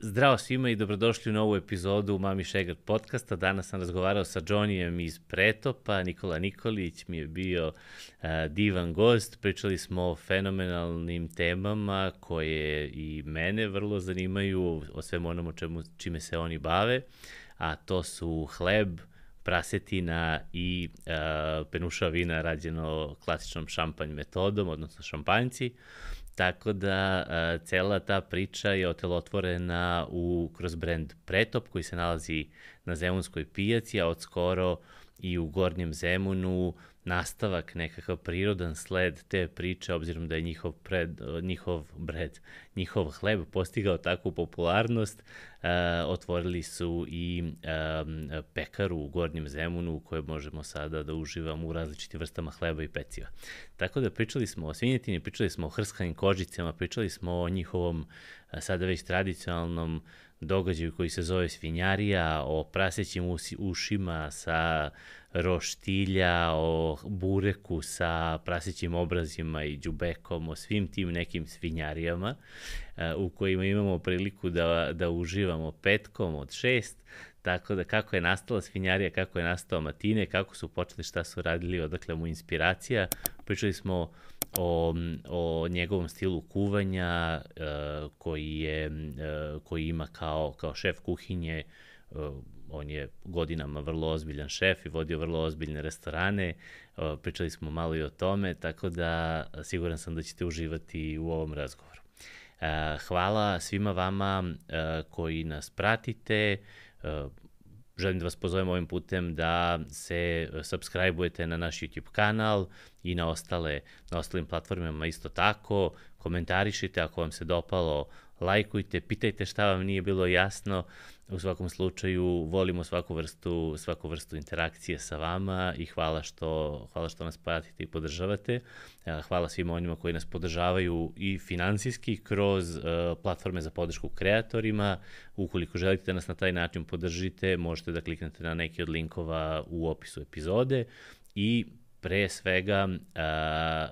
Zdravo svima i dobrodošli u novu epizodu Mami Šegrt podcasta. Danas sam razgovarao sa Johnnyjem iz Pretopa. Nikola Nikolić mi je bio divan gost. Pričali smo o fenomenalnim temama koje i mene vrlo zanimaju, o svemu onom čime se oni bave, a to su hleb, prasetina i penuša vina rađeno klasičnom šampanj metodom, odnosno šampanjci. Tako da cela ta priča je otelotvorena kroz brend Pretop koji se nalazi na Zemunskoj pijaci, a od skoro i u Gornjem Zemunu nastavak, nekakav prirodan sled te priče, obzirom da je njihov hleb postigao takvu popularnost. Otvorili su i pekaru u Gornjem Zemunu u kojoj možemo sada da uživamo u različitim vrstama hleba i peciva. Tako da pričali smo o svinjetini, pričali smo o hrskanim kožicama, pričali smo o njihovom sada već tradicionalnom događaju koji se zove svinjarija, o prasećim ušima sa roštilja, o bureku sa prasećim obrazima i đubekom, o svim tim nekim svinjarijama u kojima imamo priliku da uživamo petkom od 6. Tako da kako je nastala svinjarija, kako je nastao Matine, kako su počeli, šta su radili, odakle mu inspiracija. Pričali smo o njegovom stilu kuvanja koji ima kao šef kuhinje. On je godinama vrlo ozbiljan šef i vodio vrlo ozbiljne restorane. Pričali smo malo i o tome, tako da siguran sam da ćete uživati u ovom razgovoru. Hvala svima vama koji nas pratite. Želim da vas pozovem ovim putem da se subscribe-ujete na naš YouTube kanal i na ostalim platformama isto tako. Komentarišite ako vam se dopalo, lajkujte, pitajte šta vam nije bilo jasno. U svakom slučaju volimo svaku vrstu interakcije sa vama i hvala što nas pratite i podržavate. Hvala svima onima koji nas podržavaju i finansijski kroz platforme za podršku kreatorima. Ukoliko želite da nas na taj način podržite, možete da kliknete na neki od linkova u opisu epizode i pre svega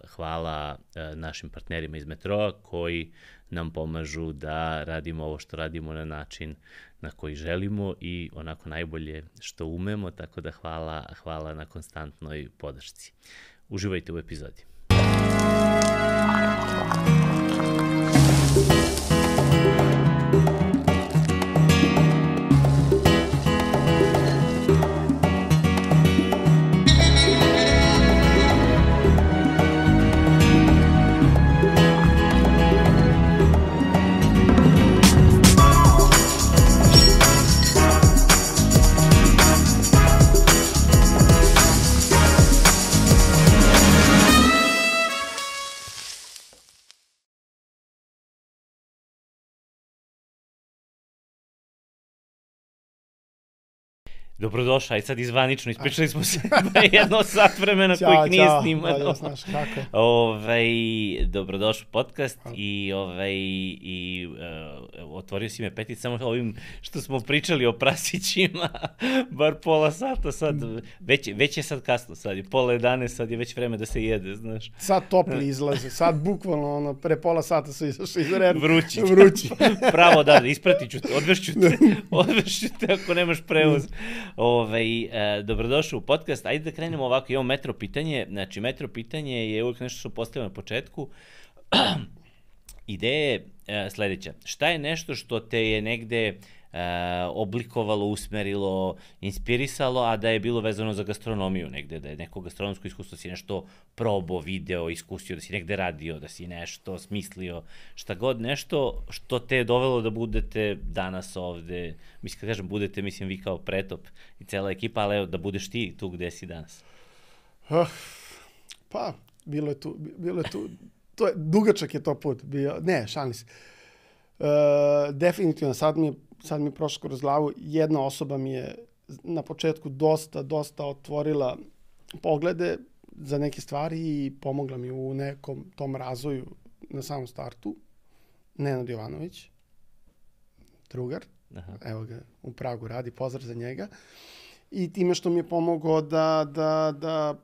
hvala našim partnerima iz Metroa koji nam pomažu da radimo ovo što radimo na način na koji želimo i onako najbolje što umemo, tako da hvala na konstantnoj podršci. Uživajte u epizodi. Dobrodošla, i sad izvanično, ispričali smo se jedno sat vremena kojih nije snimano. Znaš kako. Dobrodošao podcast i otvorio si me Petit samo ovim što smo pričali o prasićima, bar pola sata sad, već je sad kasno, sad je 10:30, sad je već vreme da se jede, znaš. Sad topli izlaze, sad bukvalno pre pola sata su izašli iz reda. Vrući. Pravo, da, ispratit ću te, odvešću te ako nemaš prevoz. Dobrodošao u podcast. Ajde da krenemo ovako, imamo metro pitanje. Znači, metro pitanje je uvijek nešto što postavljamo na početku. Ideja je sledeća. Šta je nešto što te je negde oblikovalo, usmerilo, inspirisalo, a da je bilo vezano za gastronomiju negde, da je neko gastronomsko iskustvo, da si nešto probao, video, iskusio, da si negde radio, da si nešto smislio, šta god, nešto što te je dovelo da budete danas ovde, mislim, kad kažem budete, mislim vi kao Pretop i cela ekipa, ali evo, da budeš ti tu gde si danas. Pa, bilo je tu, dugačak je to put bio, ne, šalim se. Definitivno, sad mi je prošlo kroz glavu, jedna osoba mi je na početku dosta otvorila poglede za neke stvari i pomogla mi u nekom tom razvoju na samom startu. Nenad Jovanović, drugar, evo ga, u Pragu radi, pozdrav za njega. I time što mi je pomogao da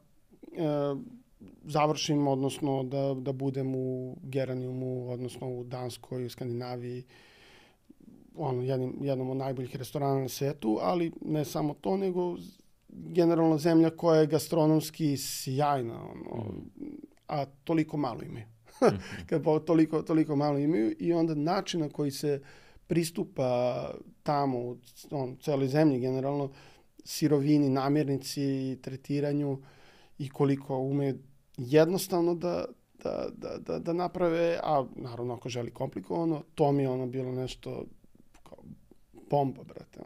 završim, odnosno da budem u Geraniumu, odnosno u Danskoj, u Skandinaviji, jednom od najboljih restorana na svetu, ali ne samo to, nego generalno zemlja koja je gastronomski sjajna, a toliko malo imaju. Kad toliko malo imaju i onda način na koji se pristupa tamo, u celoj zemlji generalno, sirovini, namirnici, tretiranju i koliko umeju jednostavno da naprave, a naravno ako želi komplikovano, to mi je bilo nešto kao bomba, brate.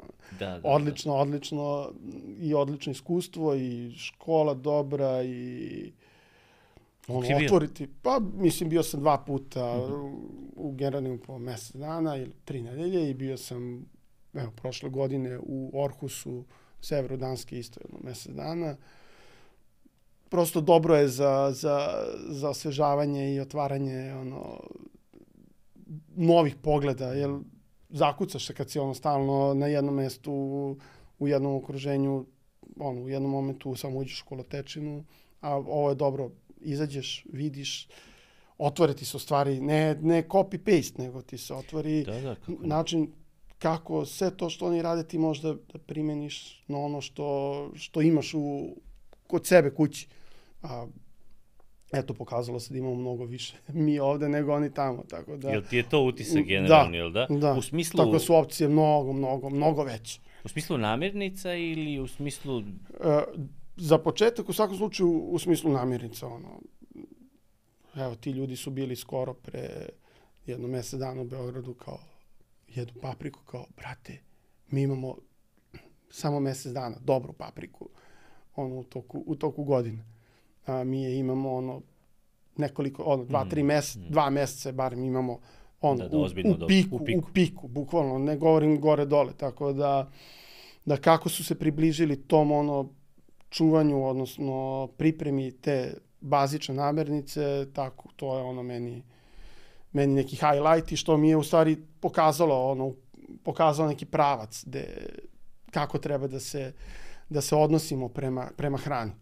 Odlično i odlično iskustvo i škola dobra i otvoriti. Pa mislim bio sam 2 puta u Geranimu po mesec dana ili 3 nedelje i bio sam prošle godine u Orhusu, severu Danske isto mesec dana. Prosto dobro je za osvežavanje i otvaranje novih pogleda, jer zakucaš se kad si stalno na jednom mestu, u jednom okruženju, u jednom momentu samo uđeš u kolotečinu, a ovo je dobro, izađeš, vidiš, otvore ti se u stvari, ne copy-paste, nego ti se otvori način kako sve to što oni rade ti možda da primeniš na ono što imaš kod sebe kući. Eto, pokazalo se da imamo mnogo više mi ovde nego oni tamo, tako da... Jel ti je to utisak generalni, jel da? Da, u smislu... tako su opcije mnogo veće. U smislu namirnica ili u smislu... Za početak, u svakom slučaju, u smislu namirnica, Evo, ti ljudi su bili skoro pre jedno mesec dana u Beogradu, kao jedu papriku, kao, brate, mi imamo samo mesec dana dobru papriku, u toku godine. A mi je imamo, nekoliko, 2-3 meseca, 2 meseca barem imamo, u piku, bukvalno, ne govorim gore-dole, tako da kako su se približili tom, čuvanju, odnosno pripremi te bazične namirnice, tako, to je meni neki highlight i što mi je u stvari pokazalo neki pravac kako treba da se odnosimo prema hrani.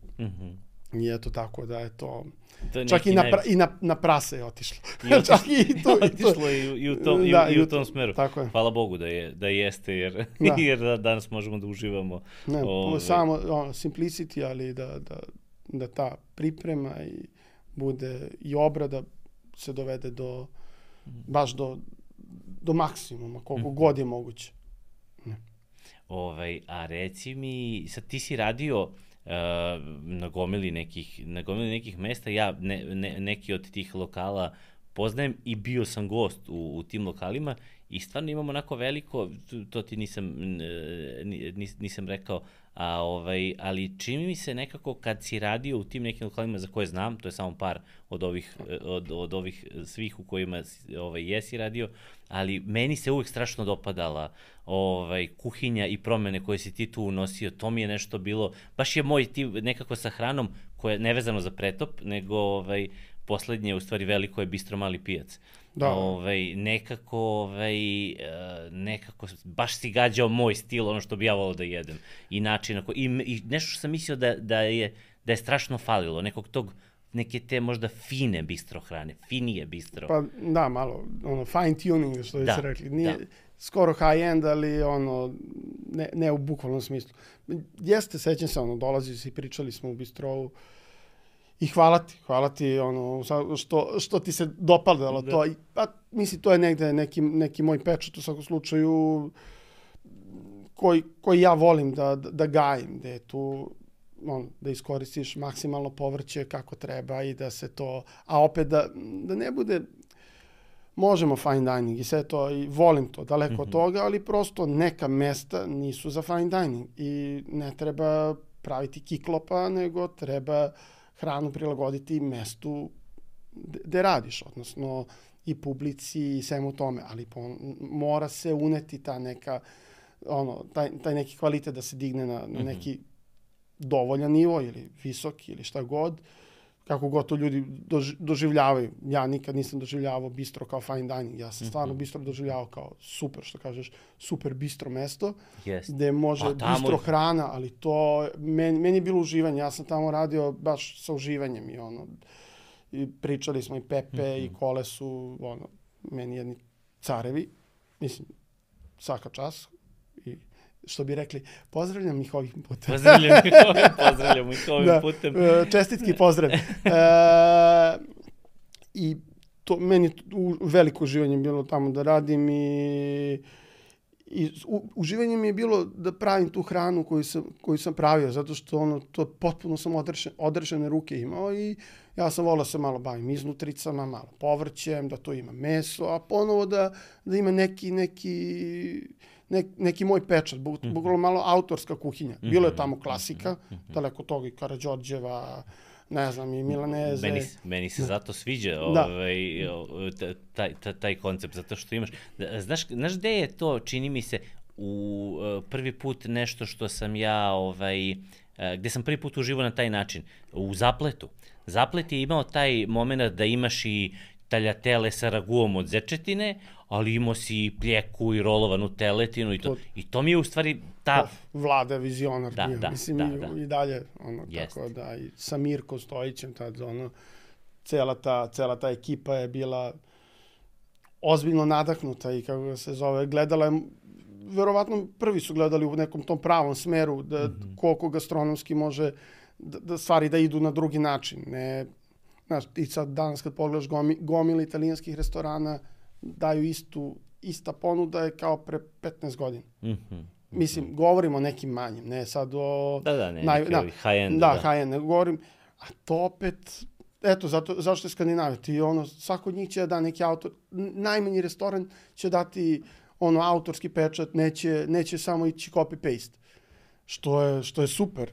I eto tako da je to... Čak i na prase je otišlo. Otišlo i u tom smeru. Hvala Bogu da jeste, jer danas možemo da uživamo. Samo simplicity, ali da ta priprema i bude i obrada se dovede baš do maksimuma, koliko god je moguće. A reci mi, sad ti si radio na gomili nekih mesta, ja neki od tih lokala poznajem i bio sam gost u tim lokalima i stvarno imam onako veliko, to ti nisam rekao, ali čini mi se nekako kad si radio u tim nekim lokalima za koje znam, to je samo par od ovih svih u kojima jesi radio, ali meni se uvek strašno dopadala kuhinja i promene koje si ti tu unosio, to mi je nešto bilo, baš je moj tip nekako sa hranom koja je nevezano za pretop, nego poslednje, u stvari veliko je Bistro Mali pijac. Nekako baš si gađao moj stil, ono što bi ja volao da jedem. I način, i nešto što sam mislio da je strašno falilo, neke te možda fine bistro hrane, finije bistro. Pa da, malo, fine tuning, što bi se rekli. Nije skoro high end, ali ne u bukvalnom smislu. Jeste, sećam se, dolazili si, pričali smo u bistrovu, i hvala ti što ti se dopadalo to. Pa mislim, to je negde neki moj pečat u svakom slučaju koji ja volim da gajim, gde je tu da iskoristiš maksimalno povrće kako treba i da se to, a opet da ne bude, možemo fine dining i sve to, i volim to, daleko od toga, ali prosto neka mesta nisu za fine dining i ne treba praviti kiklopa, nego treba hranu prilagoditi mestu gde radiš, odnosno i publici i svemu tome, ali mora se uneti ta neka, taj neki kvalitet da se digne na neki dovoljan nivo ili visoki ili šta god, kako god to ljudi doživljavaju. Ja nikad nisam doživljavao bistro kao fine dining, ja sam stvarno bistro doživljavao kao super, što kažeš, super bistro mesto, gde može bistro hrana, ali to, meni je bilo uživanje, ja sam tamo radio baš sa uživanjem i pričali smo i Pepe i Kole su, meni jedni carevi, mislim, svaka čast. I što bi rekli, pozdravljam ih ovim putem. Pozdravljam ih ovim putem. Čestitki pozdrav. I to meni veliko uživanje bilo tamo da radim i uživanje mi je bilo da pravim tu hranu koju sam pravio, zato što to potpuno sam odrešene ruke imao i ja sam volao se malo bavim iznutricama, malo povrćem, da to ima meso, a ponovo da ima neki moj pečat, bukvalno malo autorska kuhinja. Bilo je tamo klasika, daleko toga i Karađorđeva, ne znam, i Milaneze. Meni se zato sviđa taj koncept, zato što imaš... Znaš gde je to, čini mi se, u prvi put nešto što sam ja, gde sam prvi put uživao na taj način? U Zapletu. Zaplet je imao taj moment da imaš i taljatele sa raguom od zečetine, ali imao si i pljeku i rolovanu teletinu i to mi je u stvari ta... Vlada vizionar. Mislim, i dalje, tako da, i sa Mirko Stojićem, tad, cela ta ekipa je bila ozbiljno nadahnuta i kako se zove, gledala je, verovatno prvi su gledali u nekom tom pravom smeru, da koliko gastronomski može da stvari da idu na drugi način. Ne, znaš, ti sad danas kad pogledaš gomile italijanskih restorana, daju ista ponuda je kao pre 15 godina. Mislim, govorimo o nekim manjim, ne sad o... high-end. High-end, ne govorim. A to opet, eto, zašto je Skandinavija? Ti svako od njih će da neki autor, najmanji restoran će dati autorski pečat, neće samo ići copy-paste. Što je super.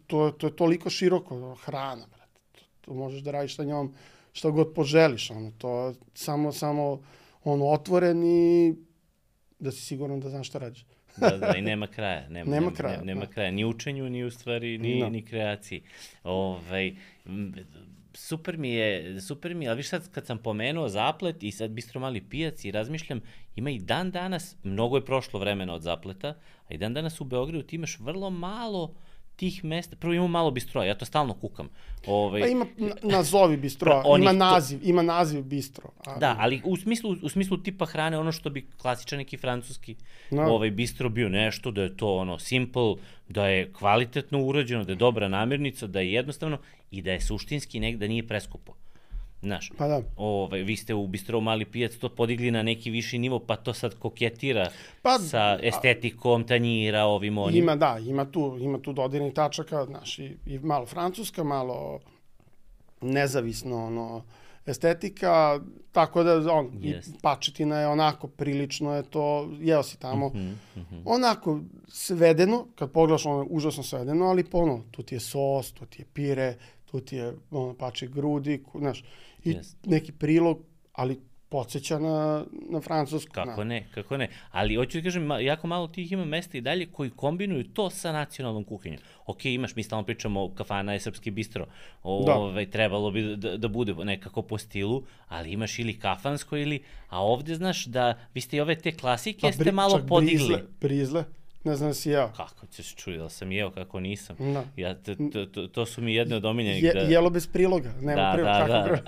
To je toliko široko. Hrana, brate. To možeš da radiš sa njom što god poželiš. To samo otvoren i da si siguran da znaš šta radiš. Da, i nema kraja. Nema kraja. Ni učenju, ni u stvari, ni kreaciji. Super mi je, ali viš sad kad sam pomenuo Zaplet i sad Bistro Mali pijac i razmišljam, ima i dan danas, mnogo je prošlo vremena od Zapleta, a i dan danas u Beogradu ti imaš vrlo malo tih mesta. Prvo imamo malo bistroa, ja to stalno kukam. Pa ima nazovi bistroa, ima naziv bistro. Da, ali u smislu tipa hrane, ono što bi klasičan neki francuski bistro bio nešto, da je to simple, da je kvalitetno urađeno, da je dobra namirnica, da je jednostavno i da je suštinski da nije preskupo. Znaš, pa da. Vi ste u Bistro Mali pijac to podigli na neki viši nivo, pa to sad koketira sa estetikom tanjira, ovim onim. Ima tu dodirnih tačaka, znaš, i malo francuska, malo nezavisno, estetika, tako da, pačetina je onako, prilično je to, jeo si tamo, onako svedeno, kad pogledaš, užasno svedeno, ali tu ti je sos, tu ti je pire, tu ti je pače grudi, znaš, i neki prilog, ali podsjeća na francusku. Kako ne. Ali hoću da kažem, jako malo tih ima mesta i dalje koji kombinuju to sa nacionalnom kuhinjom. Ok, imaš, mi stalno pričamo o kafana je srpski bistro, trebalo bi da bude nekako po stilu, ali imaš ili kafansko a ovde znaš da vi ste i ove te klasike ste malo podigli. Brizle. Ne znam da si jeo. Kako ćeš čuti da sam jeo, kako nisam. To su mi jedne od omiljenih. Jelo bez priloga. Nema priloga.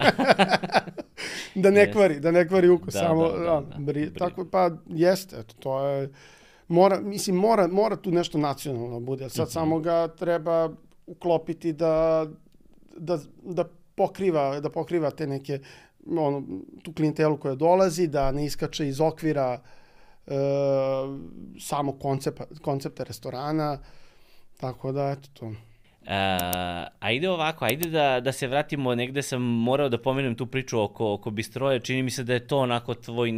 Da ne kvari ukus. Tako pa jeste. To je... Mora tu nešto nacionalno bude. Sad samo ga treba uklopiti da pokriva te neke tu klijentelu koja dolazi, da ne iskače iz okvira samo koncepta restorana, tako da, eto to. Ajde da se vratimo, negde sam morao da pomenem tu priču oko bistroja, čini mi se da je to onako tvoj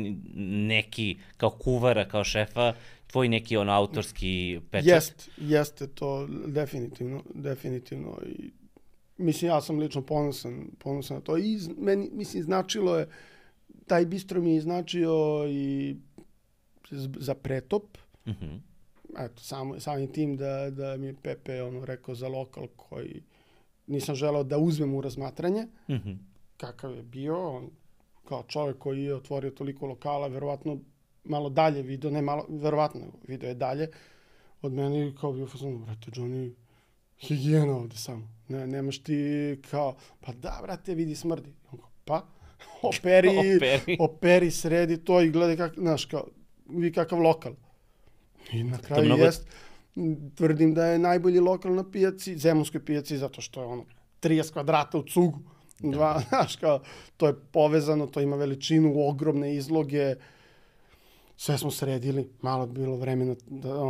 neki, kao kuvara, kao šefa, tvoj neki autorski pečat. Jeste to, definitivno. I, mislim, ja sam lično ponosan na to i meni, mislim, značilo je, taj bistro mi je značio i za pretop. Eto, samim tim da mi je Pepe rekao za lokal koji nisam želeo da uzmem u razmatranje. Kakav je bio, on kao čovjek koji je otvorio toliko lokala, verovatno malo dalje video, ne malo, verovatno video je dalje od mene i kao bio fazon, brate, Johnny, higijena ovde samo. Nemaš ti kao, pa da, brate, vidi smrdi. Pa, operi, sredi to i gledaj kako, znaš, kao, vi kakav lokal. I na kraju jest, tvrdim da je najbolji lokal na pijaci, zemunskoj pijaci, zato što je ono 30 kvadrata u cugu. Znaš, kao, to je povezano, to ima veličinu, ogromne izloge, sve smo sredili, malo bilo vremena,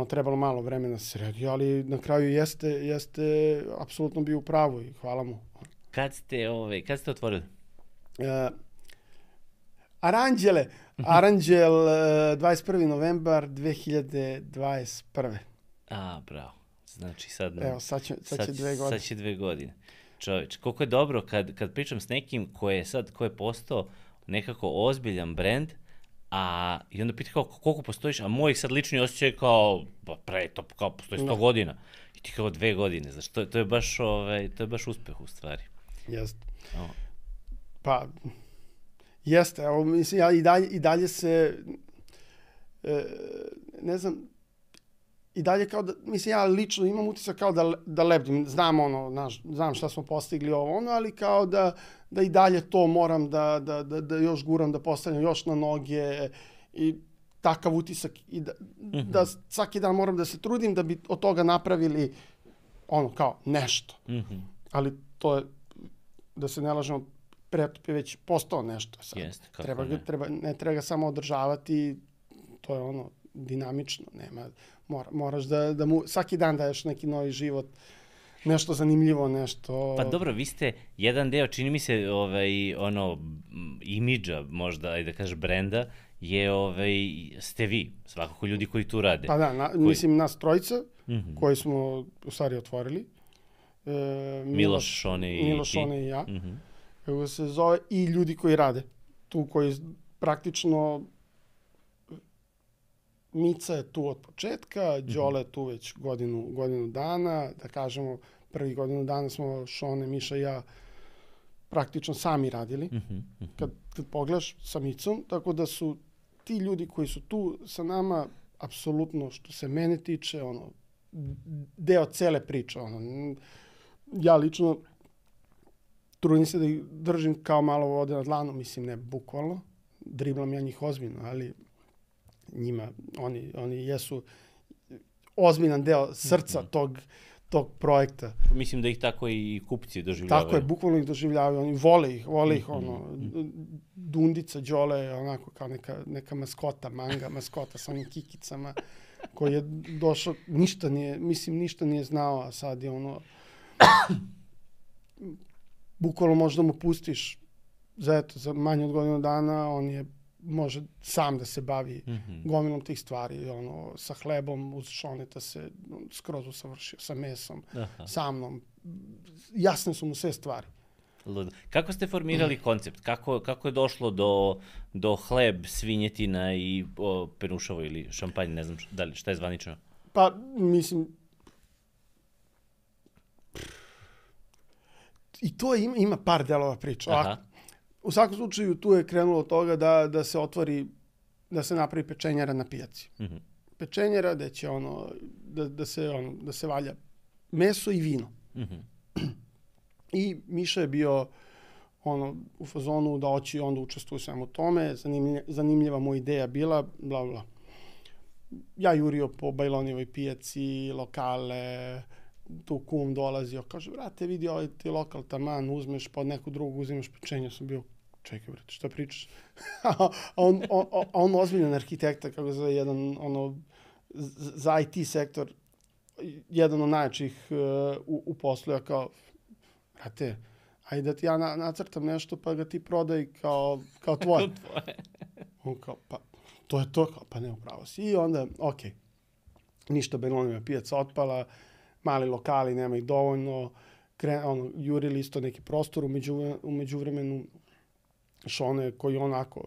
trebalo malo vremena sredi, ali na kraju jeste apsolutno bio u pravu i hvala mu. Kad ste otvorili? Aranđel 21. novembar 2021. Bravo. Znači sad... Evo, sad će 2 godine. Sad će 2 godine. Čovječ, koliko je dobro kad pričam s nekim ko je postao nekako ozbiljan brend, i onda pita kao koliko postojiš, a moj sad lični osjećaj kao postoji 100 godina. I ti kao 2 godine, znaš, to je baš uspeh u stvari. Jeste. Pa, jeste, evo, mislim, ja i dalje se, ne znam, i dalje kao da, mislim, ja lično imam utisak kao da lebdim, znam šta smo postigli ali kao da i dalje to moram da još guram, da postavljam još na noge i takav utisak i da svaki dan moram da se trudim da bi od toga napravili kao nešto. Ali to je, da se ne lažemo, Pretop je već postao nešto sad. Ne treba ga samo održavati, to je dinamično, nema, moraš da mu svaki dan daješ neki novi život, nešto zanimljivo, nešto... Pa dobro, vi ste jedan deo, čini mi se, imidža, možda, ajde da kažeš, brenda, ste vi, svakako ljudi koji tu rade. Pa da, mislim, nas trojica, koji smo u stvari otvorili. Miloš, Šone i ja. Kako se zove, i ljudi koji rade. Tu koji praktično... Mica je tu od početka, Đole je tu već godinu dana, da kažemo, prvi godinu dana smo Šone, Miša i ja praktično sami radili, kad pogledaš sa Micom, tako da su ti ljudi koji su tu sa nama, apsolutno, što se mene tiče, deo cele priče. Ja lično trudim se da ih držim kao malo vode na dlanu, mislim, ne bukvalno, driblam ja njih ozbiljno, ali njima, oni jesu ozbiljan deo srca tog projekta. Mislim da ih tako i kupci doživljavaju. Tako je, bukvalno ih doživljavaju, oni vole ih, Dundica, Đole je onako kao neka maskota, manga maskota sa onim kikicama, koji je došao, ništa nije znao, a sad je bukvalno možda mu pustiš za manje od godinu dana, on je može sam da se bavi gomilom tih stvari, sa hlebom uz Šoneta se skroz usavršio, sa mesom, sa mnom. Jasne su mu sve stvari. Kako ste formirali koncept? Kako je došlo do hleb, svinjetina i perušavo ili šampanj, ne znam šta je zvanično? Pa, mislim, i to ima par delova priča. U svakom slučaju tu je krenulo od toga da se napravi pečenjara na pijaci. Pečenjara gde će da se valja meso i vino. I Miša je bio u fazonu da hoće onda učestvuje svemu tome, zanimljiva mu ideja bila, bla bla. Ja jurio po Bajlonijevoj pijaci, lokale, tu kum dolazio, kaže, brate, vidi ovaj ti lokal taman, uzmeš, pa od nekog drugog uzimaš pečenje, sam bio, čekaj, brate, šta pričaš? A on ozbiljan arhitekta, kako se zove, jedan, za IT sektor, jedan od najjačih u poslu, ja kao, brate, ajde da ti ja nacrtam nešto, pa ga ti prodaj kao tvoje. On kao, pa, to je to, pa ne, upravo si. I onda, okej, ništa, Bajlonijeva pijaca otpala, mali lokali, nema ih dovoljno, jurili isto neki prostor, u međuvremenu Šone koji onako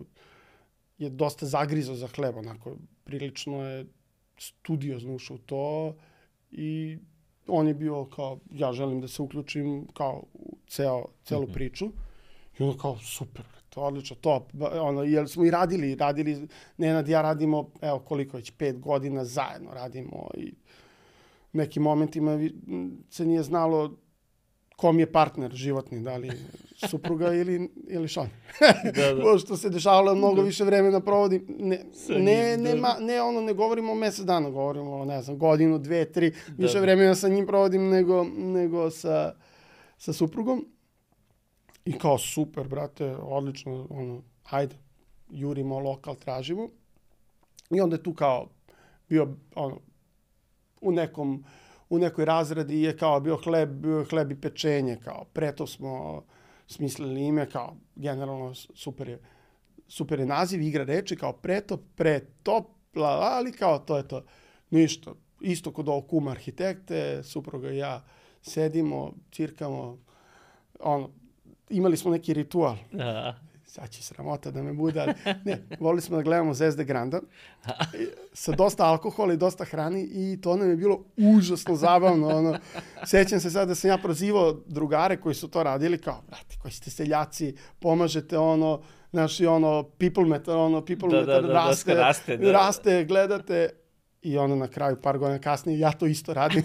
je dosta zagrizao za hleb, onako prilično je studiozno ušao u to i on je bio kao, ja želim da se uključim kao u celu priču i onda kao, super, to odlično, top, jer smo i radili, Nenad i ja radimo, evo koliko već, 5 godina zajedno radimo i nekim momentima se nije znalo kom je partner životni, da li supruga ili Šon. Da. Što se dešavalo, mnogo više vremena provodim. Ne govorimo o mesec dana, govorimo o, ne znam, godinu, 2, 3, više vremena sa njim provodim nego sa suprugom. I kao, super, brate, odlično, hajde, jurimo lokal, tražimo. I onda je tu kao bio, u nekoj razradi je kao bio hleb i pečenje, kao preto smo smislili ime, kao generalno super je naziv, igra reči, kao pretop, ali kao to je to. Ništa, isto kod ovog kuma arhitekte, supruga i ja sedimo, cirkamo, imali smo neki ritual. Sad će sramota da me bude, ali ne, volili smo da gledamo Zvezde Granda sa dosta alkohola i dosta hrani i to nam je bilo užasno zabavno. Sećam se sad da sam ja prozivao drugare koji su to radili, kao, brate, koji ste seljaci, pomažete people meter raste, gledate. I onda na kraju, par godina kasnije, ja to isto radim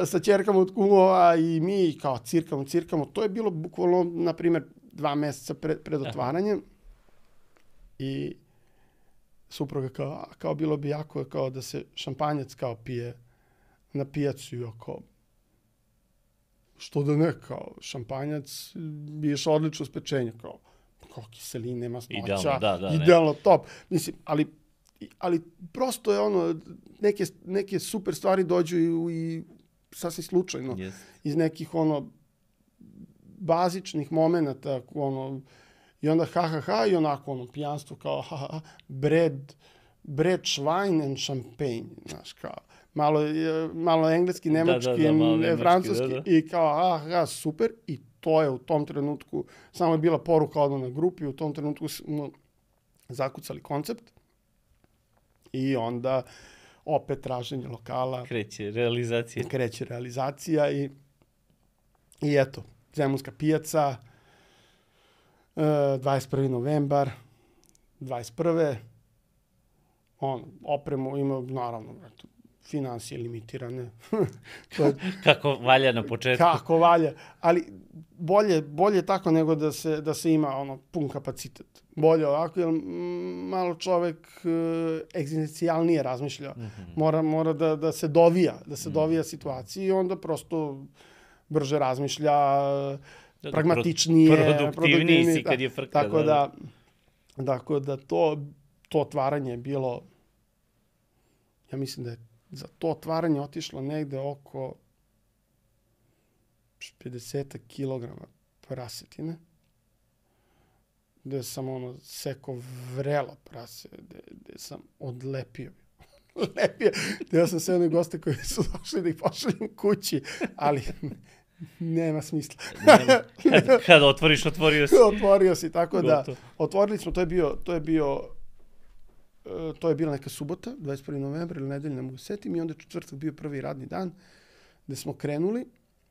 sa ćerkama od kumova i mi kao cirkamo. To je bilo bukvalno, na primjer, 2 meseca pred otvaranjem. I supruga kao bilo bi jako kao da se šampanjac kao pije na pijacu i kao što da ne, kao šampanjac biješ odlično s pečenja, kao kiseline, masnoća, idealno top. Mislim, ali prosto je neke super stvari dođu i sasvim slučajno. Iz nekih bazičnih momenata, i onda i onako pijanstvo kao bread, švajn and champagne, znaš, kao malo engleski, nemački, francuski i kao super, i to je u tom trenutku, samo je bila poruka na grupi, u tom trenutku smo zakucali koncept. I onda opet traženje lokala. Kreće realizacija i eto, Zemunska pijaca, 21. novembar, 21. Opremu ima, naravno, finansije limitirane. Kako valja na početku. Kako valja, ali bolje tako nego da se ima pun kapacitet. Bolje ovako, jer malo čovek egzistencijalnije razmišlja. Mora da se dovija situaciji i onda prosto brže razmišlja, pragmatičnije. Produktivniji si kad je frka. Tako da to otvaranje je bilo, ja mislim da je za to otvaranje otišlo negde oko 50 kilograma prasetine, gde sam seko vrelo prase, gde sam odlepio. Ja sam sve one goste koji su došli da ih pošaljem kući, ali nema smisla. Kada otvoriš, otvorio si. Otvorio si, tako da otvorili smo, to je bila neka subota, 21. novembra ili nedelja, ne mogu setim, i onda četvrtak bio prvi radni dan gde smo krenuli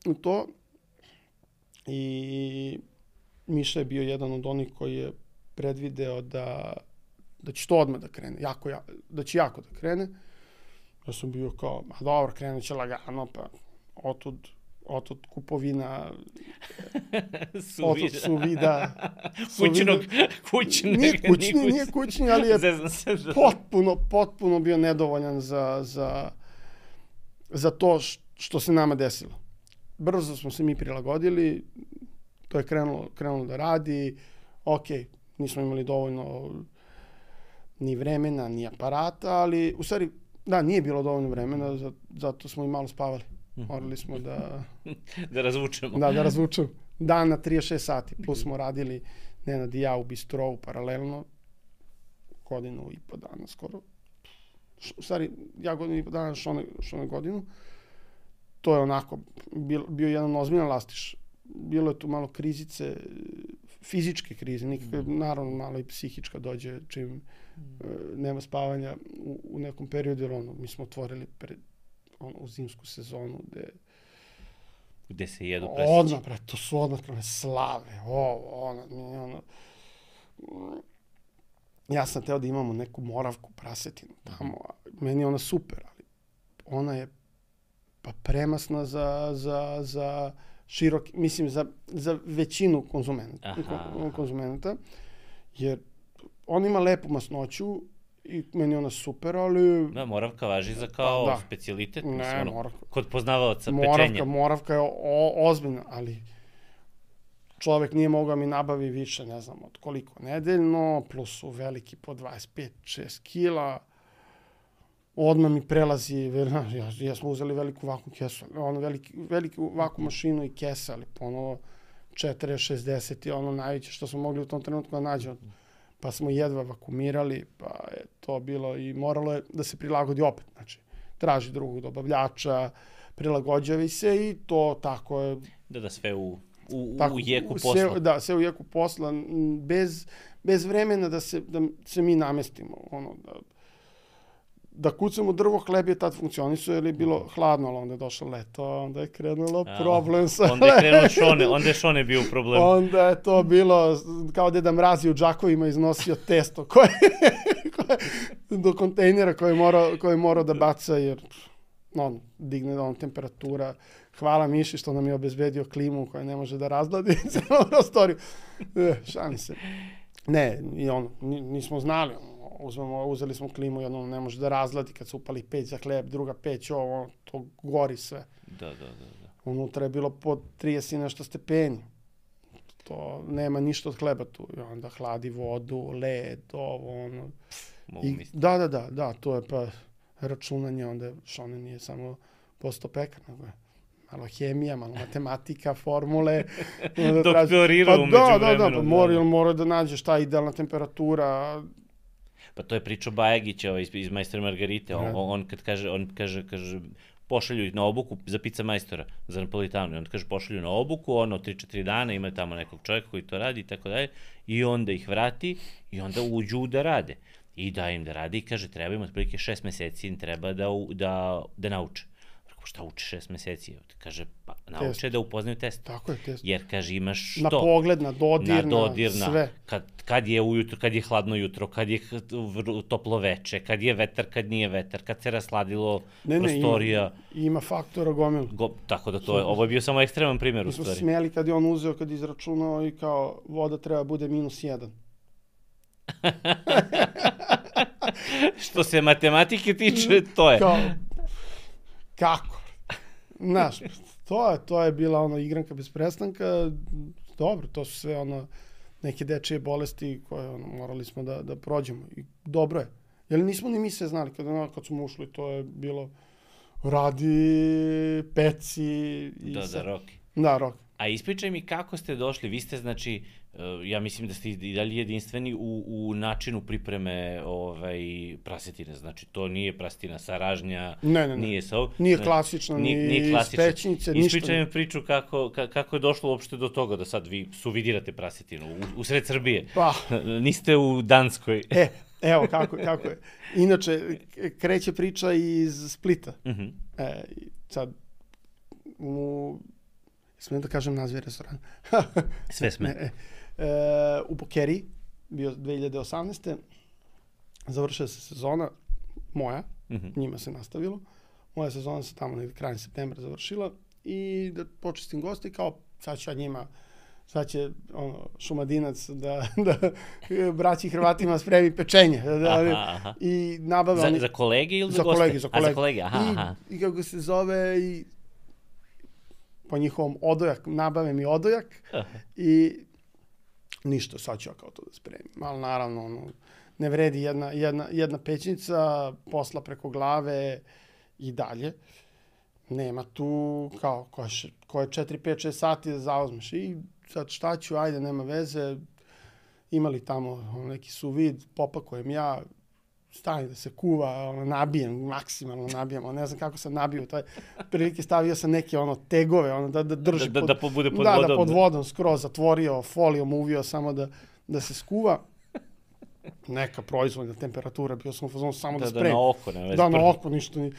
u to i Miša je bio jedan od onih koji je predvideo da će to odmah da krene, da će jako da krene. Ja sam bio kao, dobro, krenut će lagano, pa otud kupovina, otud suvida. Kućni. Nije kućni, ali je potpuno bio nedovoljan za to što se nama desilo. Brzo smo se mi prilagodili, to je krenulo da radi, nismo imali dovoljno ni vremena, ni aparata, ali u stvari, da, nije bilo dovoljno vremena, zato smo i malo spavali. Morali smo da razvučemo. Da razvučemo. Dan na 36 sati, plus smo radili Nenad i ja u bistrovu paralelno, 1.5 dana skoro. U stvari, ja 1.5 dana, Šone godinu. To je onako, bio jedan ozbiljan lastiš. Bilo je tu malo krizice, fizičke krize, naravno malo i psihička dođe čim nema spavanja u nekom periodu, jer mi smo otvorili u zimsku sezonu gde se jedu presići. To su odmah slave, ja sam teo da imamo neku moravku prasetinu tamo, meni je ona super, ali ona je pa premasna za široki, mislim, za većinu konzumenata, jer on ima lepu masnoću i meni je ona super, ali... Da, moravka važi za kao specijalitet, mislim, moravka. Kod poznavaoca pečenja. Moravka je ozbiljna, ali čovek nije mogao mi nabavi više, ne znam, od koliko nedeljno, plus su veliki po 25-6 kila, odmah mi prelazi, ja smo uzeli veliku vakum kesu, ono veliku vakum mašinu i kesa, ali ponovo 40-60 je ono najveće što smo mogli u tom trenutku da nađemo. Pa smo jedva vakumirali, pa je to bilo i moralo je da se prilagodi opet, znači traži drugog dobavljača, prilagođavi se i to tako je. Da, sve u jeku posla. Da, sve u jeku posla, bez vremena da se mi namestimo, ono, da kucamo drvo, hleb je tad funkcionisao, jer je bilo hladno, ali onda je došlo leto, onda je krenulo problem sa... Onda je krenuo Šone, onda je Šone bio problem. Onda je to bilo kao Deda Mrazi u džakovima iznosio testo do kontejnera koje je morao da baca, jer digne temperatura. Hvala Miši što nam je obezbedio klimu koja ne može da razgladi celu prostoriju. Šalim se. Ne, i nismo znali, uzeli smo klimu i ono ne može da razgladi kad se upali peć za hleb, druga peć, to gori sve. Da. Unutra je bilo po 30 i nešto stepeni. To nema ništa od hleba tu. I onda hladi vodu, led, ono. Da, to je pa računanje, onda Šone nije samo posto pekar, nego je malo hemija, malo matematika, formule. Doktorirao umeđu vremenu. Da, mora da nađe šta je idealna temperatura. Pa to je pričao Bajagića iz Majstora Margarite. On kaže, pošalju ih na obuku za pizza majstora, za Napolitanu. I onda kaže, pošalju na obuku, 3-4 dana, imaju tamo nekog čovjeka koji to radi i tako dalje. I onda ih vrati i onda uđu da rade. I da im da radi i kaže, treba im otprilike 6 meseci, im treba da nauče. Šta uči 6 meseci? Kaže, pa nauče da upoznaju test. Tako je, test. Jer, kaže, imaš što? Na pogled, na dodirna, sve. Kad je ujutro, kad je hladno jutro, kad je toplo veče, kad je vetar, kad nije vetar, kad se rasladilo prostorija. Ima faktora gomilu. Tako da to je, ovo je bio samo ekstreman primjer u stvari. Mi smo smeli kad je on uzeo, kad je izračunao i kao voda treba bude -1. Što se matematike tiče, to je. Kako? Znaš, to je bila igranka bez prestanka. Dobro, to su sve neke dečije bolesti koje morali smo da prođemo. I dobro je. Jer nismo ni mi sve znali. Kad smo ušli, to je bilo radi, peci. Da, Roki. Da, Roki. A ispričaj mi kako ste došli, vi ste, znači, ja mislim da ste i dalje jedinstveni u načinu pripreme prasetine, znači to nije prasetina sa ražnja, nije sa ovo. Nije klasično, ni iz pećnice, ništa. Ispričaj mi priču kako je došlo uopšte do toga da sad vi suvidirate prasetinu u sred Srbije. Pa. Niste u Danskoj. Evo kako je. Inače, kreće priča iz Splita. Sad, smijem da kažem naziv restorana. Sve sme. U Bokeriji, bio 2018. Završila se sezona moja, njima se nastavilo. Moja sezona se tamo negdje krajem septembra završila i da počestim goste, kao sad ću ja njima, sad će Šumadinac da braći Hrvatima spremi pečenje. I nabave za kolege ili za goste? Za kolege. I kako se zove, i po njihovom odojak, nabave mi odojak i ništa, sad ću ja kao to da spremim. Ali naravno, ne vredi jedna pećnica, posla preko glave i dalje. Nema tu, kao, koje 4, 5, 6 sati da zauzmeš. I sad šta ću, ajde, nema veze. Imali tamo neki suvid, popakujem ja, stavim da se kuva, nabijem, maksimalno nabijem, ne znam kako sam nabio, prilike stavio sam neke tegove, da drži da bude pod vodom. Da, pod vodom, skroz zatvorio, folijom uvio samo da se skuva. Neka proizvodna temperatura, bio sam u fazonu samo da spremim. Da, na oko, ne vezi. Da, na oko, ništa ni...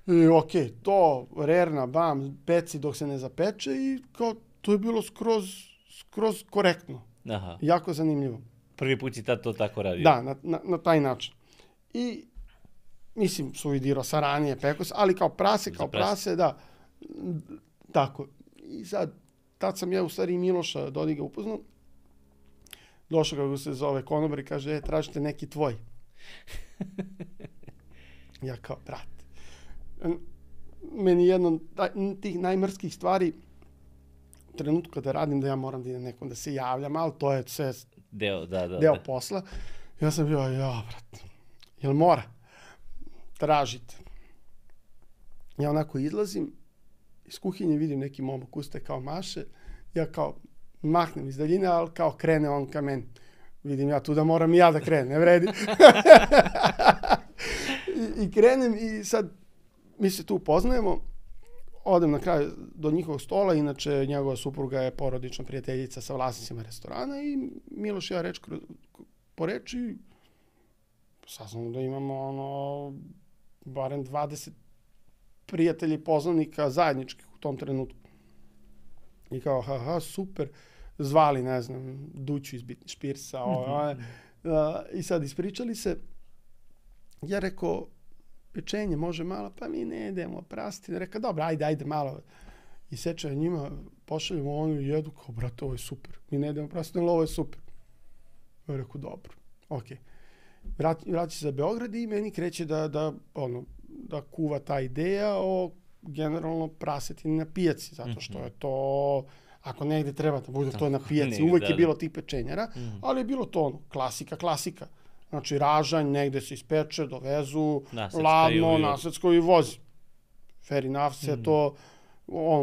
I okej, to, rerna, bam, peci dok se ne zapeče i kao, to je bilo skroz korektno. Aha. Jako zanimljivo. Prvi put si tad to tako radio? Da, na taj način. I, mislim, suvidirao sa ranije pekos, ali kao prase, da, Tako. I sad, tad sam ja u stvari Miloša Dodiga upoznao. Došao kako se zove konobar i kaže, tražite neki tvoj. Ja kao, brate. Meni jedno tih najmrskih stvari u trenutku kada radim da ja moram da idem nekom da se javljam, ali to je sve deo posla. Ja sam bio, brate, jel mora? Tražite. Ja onako izlazim, iz kuhinje vidim neki momak ustaje kao maše, ja kao mahnem iz daljine, ali kao krene on ka meni. Vidim ja tu da moram i ja da krenem, ne vredi. I krenem i sad mi se tu poznajemo, odem na kraju do njihovog stola, inače njegova supruga je porodična prijateljica sa vlasnicima restorana i Miloš i ja reč po reči saznamo da imamo barem 20 prijatelji i poznanika zajedničkih u tom trenutku. I kao, super, zvali, ne znam, Duću iz Bitni Špirsa, i sad ispričali se. Ja rekao, pečenje može malo, pa mi ne idemo prasti. Rekao, dobro, ajde malo. I seče njima, pošaljemo ono i jedu, kao, brate, ovo je super. Mi ne idemo prasti, ali ovo je super. Ja rekao, dobro, okej. Vraća se za Beograd i meni kreće da kuva ta ideja o generalno prasetini na pijaci, zato što je to, ako negde treba da bude to na pijaci, uvek je bilo tih pečenjara, ali je bilo to klasika. Znači, ražanj, negde se ispeče, dovezu, ladno, nasecko i vozi. Fair enough, sve to,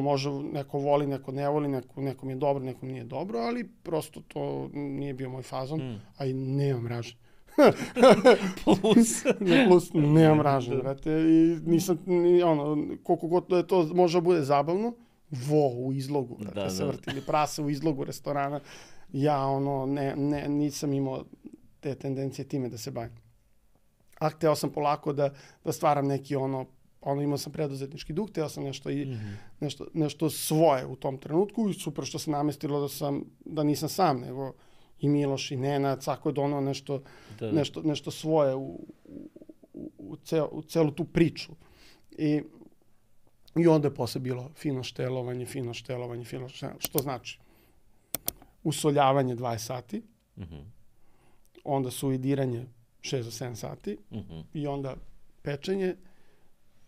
može, neko voli, neko ne voli, nekom je dobro, nekom nije dobro, ali prosto to nije bio moj fazon, a i nemam ražanj. Plus, nemam ražanj, brate, i nisam, koliko god da je to može bude zabavno, u izlogu, brate, se vrtili prase u izlogu restorana, ja, nisam imao te tendencije time da se bavim. A hteo sam polako da stvaram neki imao sam preduzetnički duh, hteo sam nešto svoje u tom trenutku i super što se namestilo da nisam sam, nego i Miloš i Nenad, svako je donao nešto svoje u celu tu priču. I onda je posle bilo fino štelovanje, što znači usoljavanje 20 sati, onda suidiranje 6 do 7 sati i onda pečenje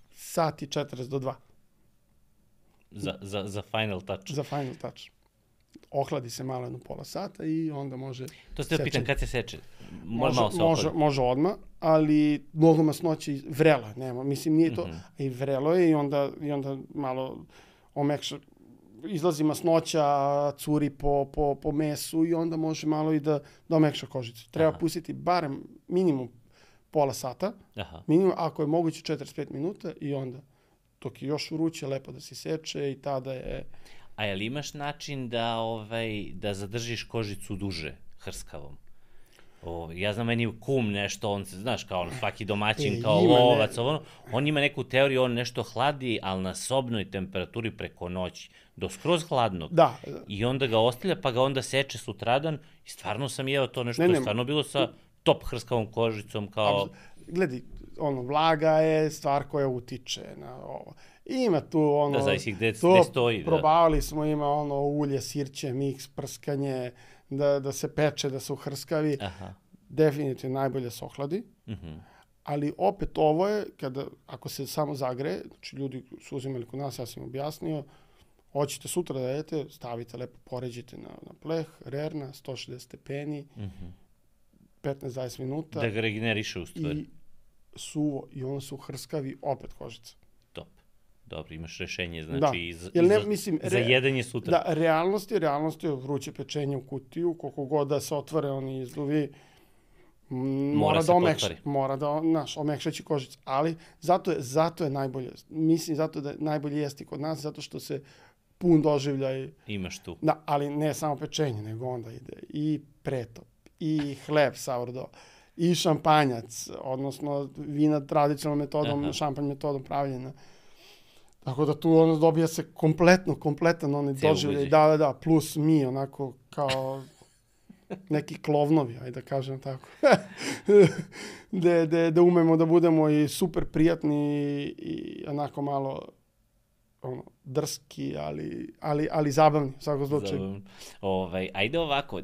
sati 40 do 2. Za final touch. Za final touch. Ohladi se malo jedno pola sata i onda može To ste pitan, kad se seče? Može odmah, ali mnogo masnoće vrela, nema, mislim nije to, i vrelo je i onda malo omekša, izlazi masnoća, curi po mesu i onda može malo i da omekša kožicu. Treba pustiti barem minimum pola sata, minimum, ako je moguće 45 minuta i onda dok je još vruće, lepo da se seče i tada je... A je li imaš način da zadržiš kožicu duže hrskavom? Ja znam, meni kum nešto, on se, znaš, kao svaki domaćin, kao lovac, on ima neku teoriju, on nešto hladi, ali na sobnoj temperaturi preko noći, do skroz hladnog. Da. I onda ga ostavlja, pa ga onda seče sutradan i stvarno sam jeo to nešto, je stvarno bilo sa top hrskavom kožicom, kao... Gledaj, vlaga je stvar koja utiče na ovo. Ima tu Da, zavisi gde stoji. Probavali smo, ima ulje, sirće, miks, prskanje, da se peče, da se uhrskavi. Definitivno najbolje se ohladi. Ali opet ovo je, ako se samo zagreje, znači ljudi su uzimali kod nas, ja sam im objasnio, hoćete sutra da jedete, stavite lepo, poređite na pleh, rerna, 160 stepeni, 15-20 minuta. Da ga regeneriše u stvari. I suvo, i ono su hrskavi, opet kožica. Top. Dobro, imaš rešenje, znači, za jedenje sutra. Da, realnost je vruće pečenje u kutiju, koliko god da se otvore oni izluvi, mora da omekšaće kožicu, ali zato je najbolje, mislim, zato da je najbolje jesti kod nas, zato što se pun doživljaj... Imaš tu. Da, ali ne samo pečenje, nego onda ide i pretop, i hleb sourdough, i šampanjac, odnosno vina tradicionalnom metodom, šampanj metodom pravljena. Tako da tu dobija se kompletan onaj doživljaj, da, plus mi, onako kao neki klovnovi, ajde da kažem tako. Da umemo da budemo i super prijatni i onako malo drski, ali zabavni, u svakom slučaju. Ajde ovako,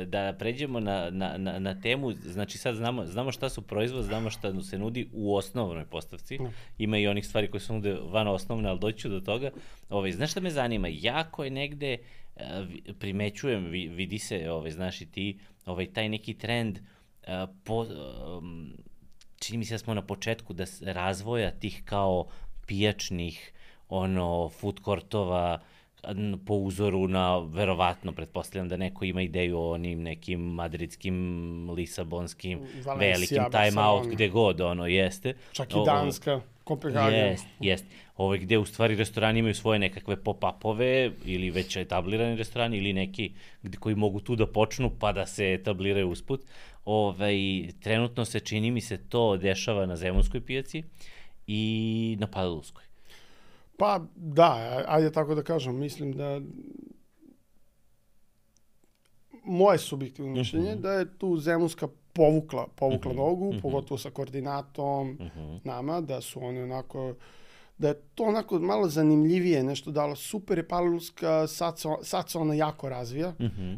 da pređemo na temu, znači sad znamo šta su proizvod, znamo šta se nudi u osnovnoj postavci, ima i onih stvari koje se nude van osnovne, ali doći ću do toga. Znaš šta me zanima, jako je negde, primećujem, vidi se, znaš i ti, taj neki trend, čini mi se da smo na početku razvoja tih kao pijačnih food courtova po uzoru na, verovatno, pretpostavljam da neko ima ideju o onim nekim madridskim, lisabonskim, velikim time-out, gde god jeste. Čak i Danska, Kopenhagen. Jest. Gde u stvari restorani imaju svoje nekakve pop-upove ili već etablirani restorani ili neki koji mogu tu da počnu pa da se etabliraju usput. Trenutno se, čini mi se, to dešava na Zemunskoj pijaci i na Palilulskoj. Pa da, ajde tako da kažem, mislim da moje subjektivno mišljenje da je tu Zemunska povukla nogu, pogotovo sa koordinatom nama, da su oni onako, da je to onako malo zanimljivije nešto dalo. Super je Palilulska, sad se ona jako razvija,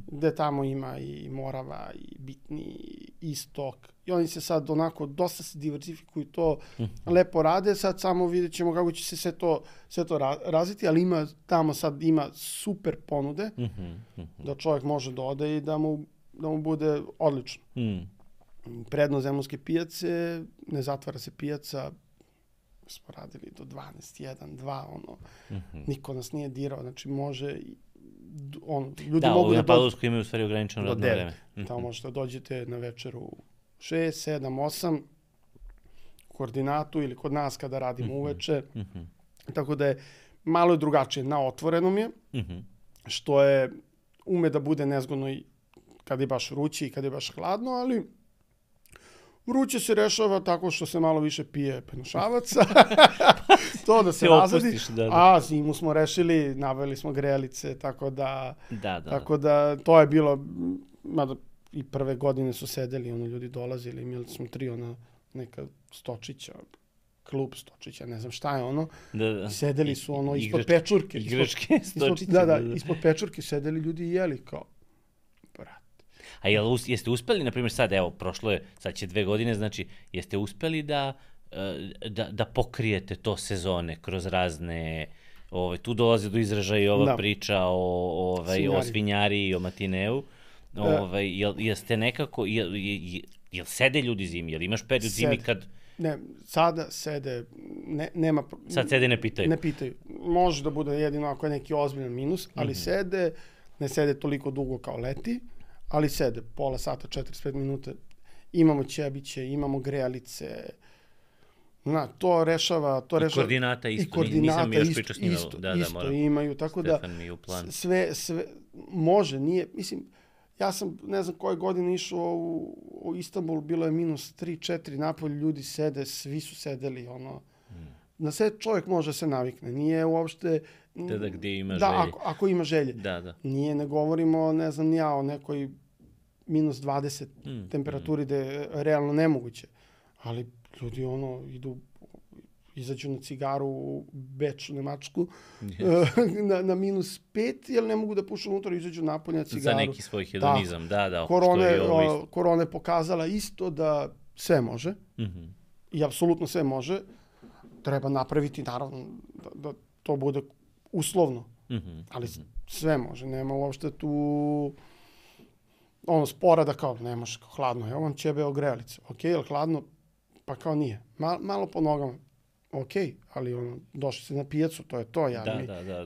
gde tamo ima i Morava, i Bitni, i Istok. I oni se sad onako, dosta se diversifikuju, to lepo rade. Sad samo vidjet ćemo kako će se sve to razviti, ali tamo sad ima super ponude, da čovjek može da ode i da mu bude odlično. Prednost Zemunske pijace, ne zatvara se pijaca, smo radili do 12, 1, 2, niko nas nije dirao, znači može, ljudi mogu da... Da, na Palilulskoj imaju u stvari ograničeno radno vreme. Tamo možete da dođete na večeru 6, 7, 8, koordinatu ili kod nas kada radimo uveče, tako da je malo drugačije, na otvorenom je, što je, ume da bude nezgodno i kada je baš vruće i kada je baš hladno, ali vruće se rešava tako što se malo više pije penušavaca, to da se razredi, a zimu smo rešili, nabavili smo grelice, tako da to je bilo, mada i prve godine su sedeli, ljudi dolazili, imali smo 3 neka stočića, klub stočića, ne znam šta je sedeli su ispod pečurke. Igračke stočiće. Da, ispod pečurke sedeli ljudi i jeli kao, A jeste uspeli, na primjer sad, evo, prošlo je, sad će 2 godine, znači, jeste uspeli da pokrijete to sezone kroz razne, tu dolazi do izražaja i ova priča o svinjari i o matineu, jeste nekako, jel sede ljudi zimi, jel imaš period zimi kad... Ne, sada sede, nema... Sad sede ne pitaju. Ne pitaju. Može da bude jedino ako je neki ozbiljan minus, ali ne sede toliko dugo kao leti, ali sede, pola sata, 45 minuta, imamo ćebiće, imamo grejalice, to rešava... I koordinata isto, nisam još pričao s njima. Isto imaju, tako da sve može, nije, mislim, ja sam, ne znam koje godine išao u Istanbul, bilo je -3, -4, napolje ljudi sede, svi su sedeli, na sve čovjek može se navikne, nije uopšte... Da, gdje ima želje. Da, ako ima želje. Da. Nije, ne govorimo, ne znam ni ja, o nekoj -20 temperaturi da je realno nemoguće. Ali ljudi idu, izađu na cigaru u Beč, u Nemačku, na -5, jer ne mogu da pušu unutra, izađu napolje na cigaru. Za neki svoj hedonizam, da. Korona je pokazala isto da sve može, i apsolutno sve može. Treba napraviti, naravno, da to bude uslovno, ali sve može, nema uopšte tu spora da kao nemaš hladno, evo vam ćebe grejalice, jel hladno? Pa kao nije, malo po nogama, ali došli se na pijacu, to je to,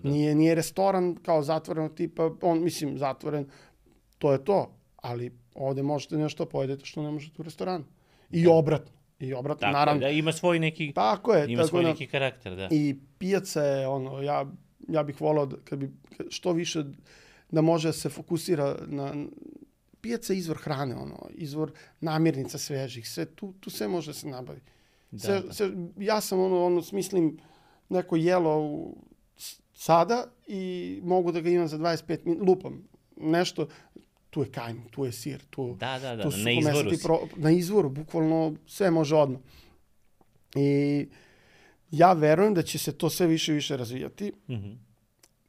nije restoran kao zatvorenog tipa, mislim zatvoren, to je to, ali ovde možete nešto pojedete što ne možete u restoranu, i obratno. Tako, naravno. Da, ima svoj neki, svoj neki karakter, da. I pijaca je, ja bih volao kad bi što više da može da se fokusira na... Pijaca je izvor hrane, izvor namirnica svežih, sve, tu sve može da se nabavi. Ja sam, smislim, neko jelo sada i mogu da ga imam za 25 minuta, lupam nešto, tu je kajmak, tu je sir, tu na izvoru na izvoru, bukvalno sve može odmah. I Ja verujem da će se to sve više i više razvijati.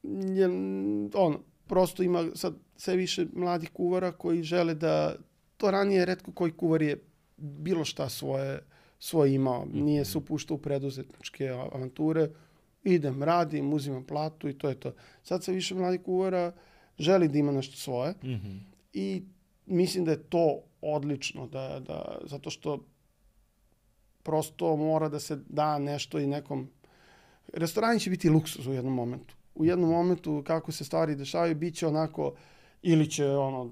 Jer, prosto ima sad sve više mladih kuvara koji žele da, to ranije retko koji kuvar je bilo šta svoje imao. Nije se upuštao u preduzetničke avanture. Idem, radim, uzimam platu i to je to. Sad sve više mladih kuvara želi da ima nešto svoje. I mislim da je to odlično, zato što prosto mora da se da nešto i nekom... Restorani će biti luksuz u jednom momentu. U jednom momentu kako se stvari dešavaju, bit će onako, ili će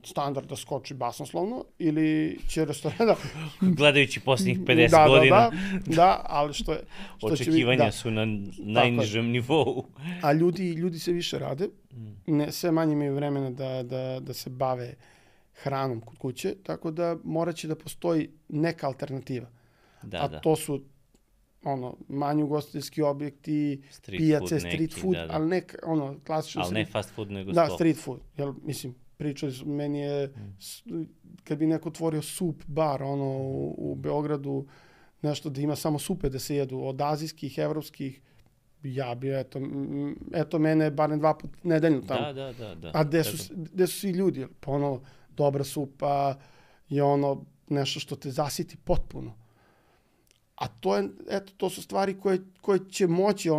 standard da skoči basnoslovno, ili će restoran... Gledajući posljednjih 50 godina. Da, ali što očekivanja su na najnižem nivou. A ljudi se više rade, sve manje imaju vremena da se bave hranom kod kuće, tako da morat će da postoji neka alternativa. To su manji ugostiteljski objekti, pijace, street food, ali ne klasično... Ali ne fast food, nego da, street food. Jer, mislim, pričali su, meni je, kad bi neko otvorio sup bar, u Beogradu, nešto da ima samo supe da se jedu, od azijskih, evropskih, ja bi, eto mene barem 2 puta nedeljno tamo. Da. A gde su svi ljudi? Pa dobra supa je nešto što te zasiti potpuno. A to su stvari koje će moći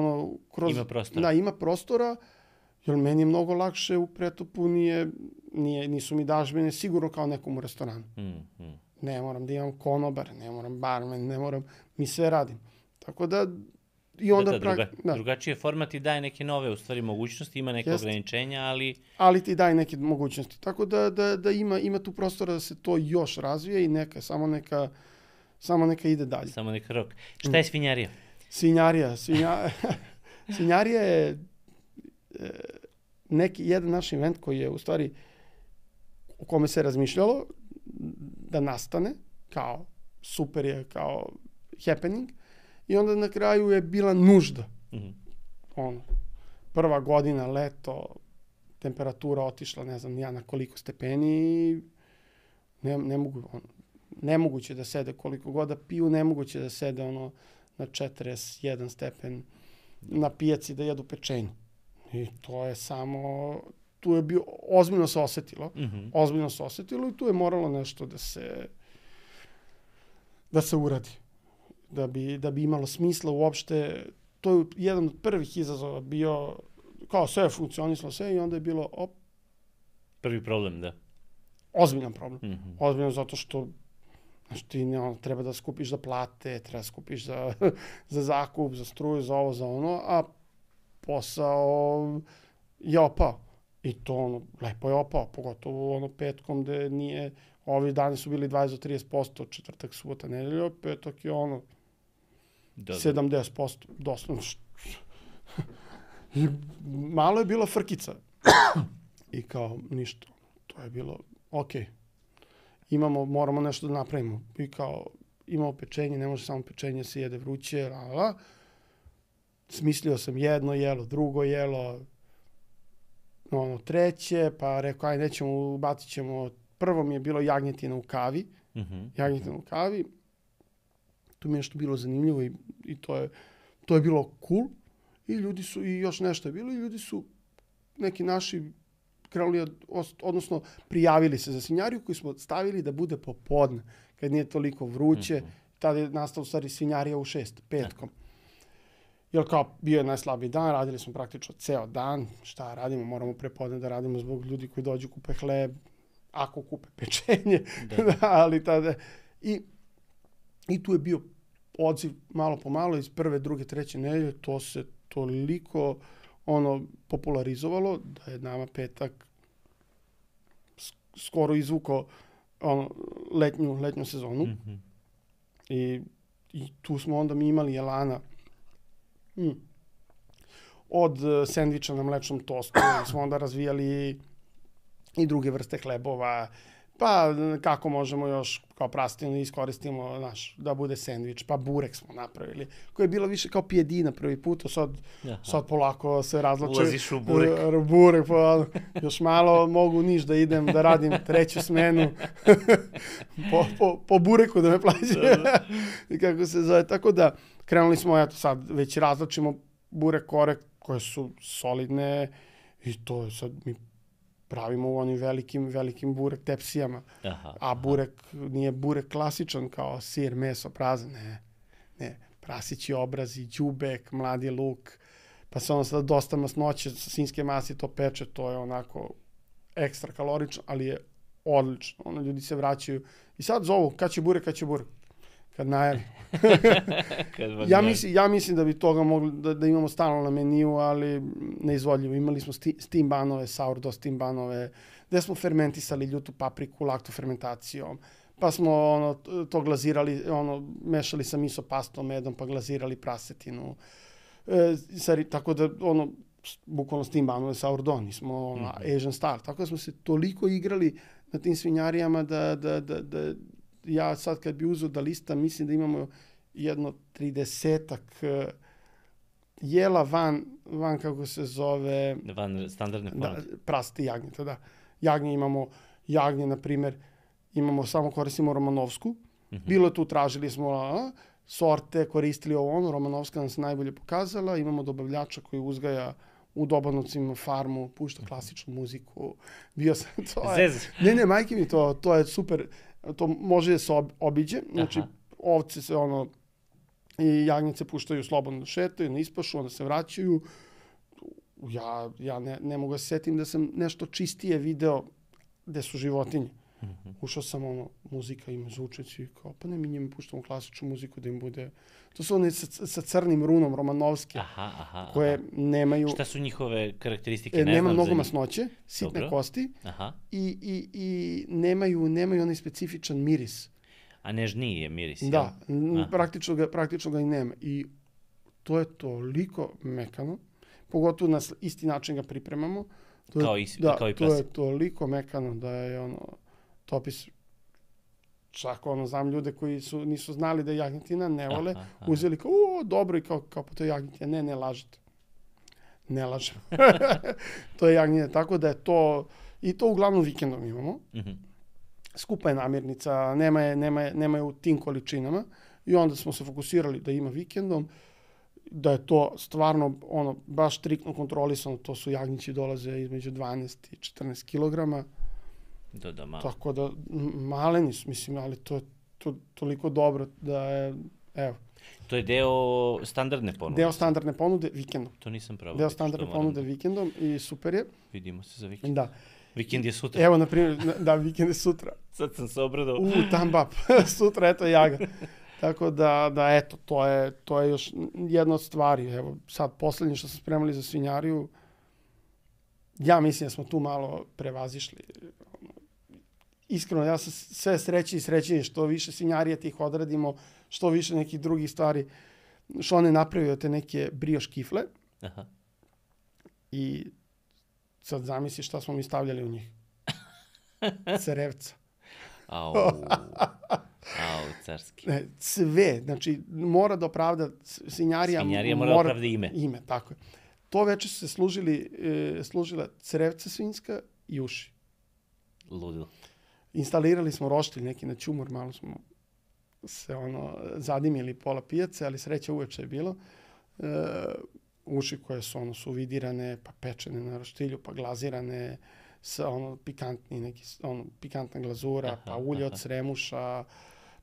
kroz... Ima prostora. Da, ima prostora, jer meni je mnogo lakše u Pretopu, nisu mi dažbine sigurno kao nekom u restoranu. Ne moram da imam konobar, ne moram barmen, ne moram, mi sve radim. Tako da... I onda drugačiji format i daje neke nove, u stvari, mogućnosti, ima neke ograničenja, ali... Ali ti daje neke mogućnosti. Tako da ima tu prostora da se to još razvije i samo neka ide dalje. Samo neka rok. Šta je svinjarija? Svinjarija je jedan naš event koji je u stvari o kome se razmišljalo da nastane, kao super je, kao happening, i onda na kraju je bila nužda. Prva godina, leto, temperatura otišla, ne znam ja na koliko stepeni, nemoguće da sede koliko god da piju, nemoguće da sede na 41 stepen na pijaci da jedu pečenje. I to je samo, tu je bio, ozbiljno se osetilo i tu je moralo nešto da se uradi. Da bi imalo smisla uopšte. To je jedan od prvih izazova bio, kao sve je funkcionisalo sve i onda je bilo prvi problem, da. Ozbiljan problem. Ozbiljan zato što ti treba da skupiš za plate, treba da skupiš za zakup, za struju, za ovo, za ono, a posao je opao. I to lepo je opao, pogotovo petkom gde nije, ovi dani su bili 20-30%, četvrtak, subota, nedelja, petak je 70%, doslovno. I malo je bila frkica. I kao ništa, to je bilo okej. Moramo nešto da napravimo. I kao, imamo pečenje, ne može samo pečenje se jede vruće, Smislio sam jedno jelo, drugo jelo, treće, pa rekao, nećemo, ubacit ćemo, prvo mi je bilo jagnjetina u kavi, tu mi je nešto bilo zanimljivo i to je bilo cool, i ljudi su, i još nešto je bilo, i ljudi su, neki naši, krenuli, odnosno prijavili se za svinjariju koju smo stavili da bude popodne, kad nije toliko vruće. Tada je nastala u stvari svinjarija u 6, petkom. Jer kao bio je najslabiji dan, radili smo praktično ceo dan, šta radimo, moramo prepodne da radimo zbog ljudi koji dođu kupe hleb, ako kupe pečenje, ali tada... I tu je bio odziv malo po malo iz prve, druge, treće nedelje, to se toliko popularizovalo da je nama petak skoro izvukao letnju sezonu. I tu smo onda mi imali elana od sendviča na mlečnom tostu, smo onda razvijali i druge vrste hlebova, pa kako možemo još kao prastina iskoristimo da bude sendvič, pa burek smo napravili, koji je bilo više kao pijedina prvi put, sad polako se razlače. Ulaziš u burek. Burek, pa još malo mogu niš da idem da radim treću smenu po bureku da me plaće. I kako se zove, tako da krenuli smo, eto sad, već razlačimo burek kore koje su solidne i to je sad mi pravimo u onim velikim burek tepsijama. A burek nije burek klasičan kao sir, meso, prazan, ne. Prasići obrazi, đubek, mladi luk, pa se ono sada dosta masnoće, svinjske mase to peče, to je onako ekstra kalorično, ali je odlično. Ono, ljudi se vraćaju i sad zovu, kad će burek. Kad najavi. Ja mislim da bi toga mogli da imamo stalno na meniju, ali neizvodljivo. Imali smo steam banove, sourdough steam banove, gde smo fermentisali ljutu papriku laktofermentacijom, pa smo to glazirali, mešali sa miso pastom, medom, pa glazirali prasetinu. Tako da, bukvalno steam banove, sourdough, nismo Asian style. Tako da smo se toliko igrali na tim svinjarijama da ja sad kad bi uzeo da lista, mislim da imamo jedno 30-ak jela van kako se zove... Van standardne ponude. Prasti jagnjeta, da. Jagnje, na primjer, samo koristimo romanovsku. Bilo je tu, tražili smo sorte, koristili ovo, romanovska nam se najbolje pokazala. Imamo dobavljača koji uzgaja u Dobanovcima farmu, pušta klasičnu muziku. Bio sam, to je... Ne, majke mi, to je super... To može da se obiđe, znači ovce se i jagnjece puštaju slobodno da šetaju, na ispašu, onda se vraćaju. Ja ne mogu da se setim da sam nešto čistije video gde su životinje. Ušao sam, muzika ima zvučeći, kao, pa ne, mi njima puštamo klasičnu muziku da im bude... To su one sa crnim runom, romanovske, koje nemaju... Šta su njihove karakteristike? Nema mnogo masnoće, sitne kosti i nemaju onaj specifičan miris. A nežniji je miris, da, praktično ga i nema. I to je toliko mekano, pogotovo na isti način ga pripremamo. Kao i prase. To je toliko mekano da je topis... Čak znam ljude koji nisu znali da je jagnjetina, ne vole, uzeli kao, dobro, i kao po to je jagnjetina. Ne lažete. Ne lažem. To je jagnjetina, tako da je to, i to uglavnom vikendom imamo. Skupa je namirnica, nema je u tim količinama i onda smo se fokusirali da ima vikendom, da je to stvarno, baš striktno kontrolisano, to su jagnjići dolaze između 12 i 14 kilograma. Tako da, maleni su, mislim, ali to je toliko dobro da je, evo. To je deo standardne ponude? Deo standardne ponude vikendom. To nisam pravo. Deo standardne ponude vikendom i super je. Vidimo se za vikend. Da. Vikend je sutra. Evo, na primjer, da, vikend je sutra. Sad sam se obradao. Tambap. Sutra, eto, jaga. Tako da, eto, to je još jedna od stvari. Evo, sad, poslednje što smo spremali za svinjariju, ja mislim da smo tu malo prevazišli. Iskreno, ja sam sve srećniji što više svinjarija tih odradimo, što više nekih drugih stvari, što one napravio te neke brioš kifle. I sad zamisli šta smo mi stavljali u njih. Crevca. Au, carski. Sve, znači mora da opravda svinjarija mora da opravda ime. Ime, tako je. To veče su se služila crevca svinjska i uši. Ludilo. Instalirali smo roštilj neki na ćumor, malo smo se zadimili pola pijace, ali sreća uveče je bilo. Uši koje su suvidirane, pa pečene na roštilju, pa glazirane sa pikantna glazura, pa ulje od sremuša,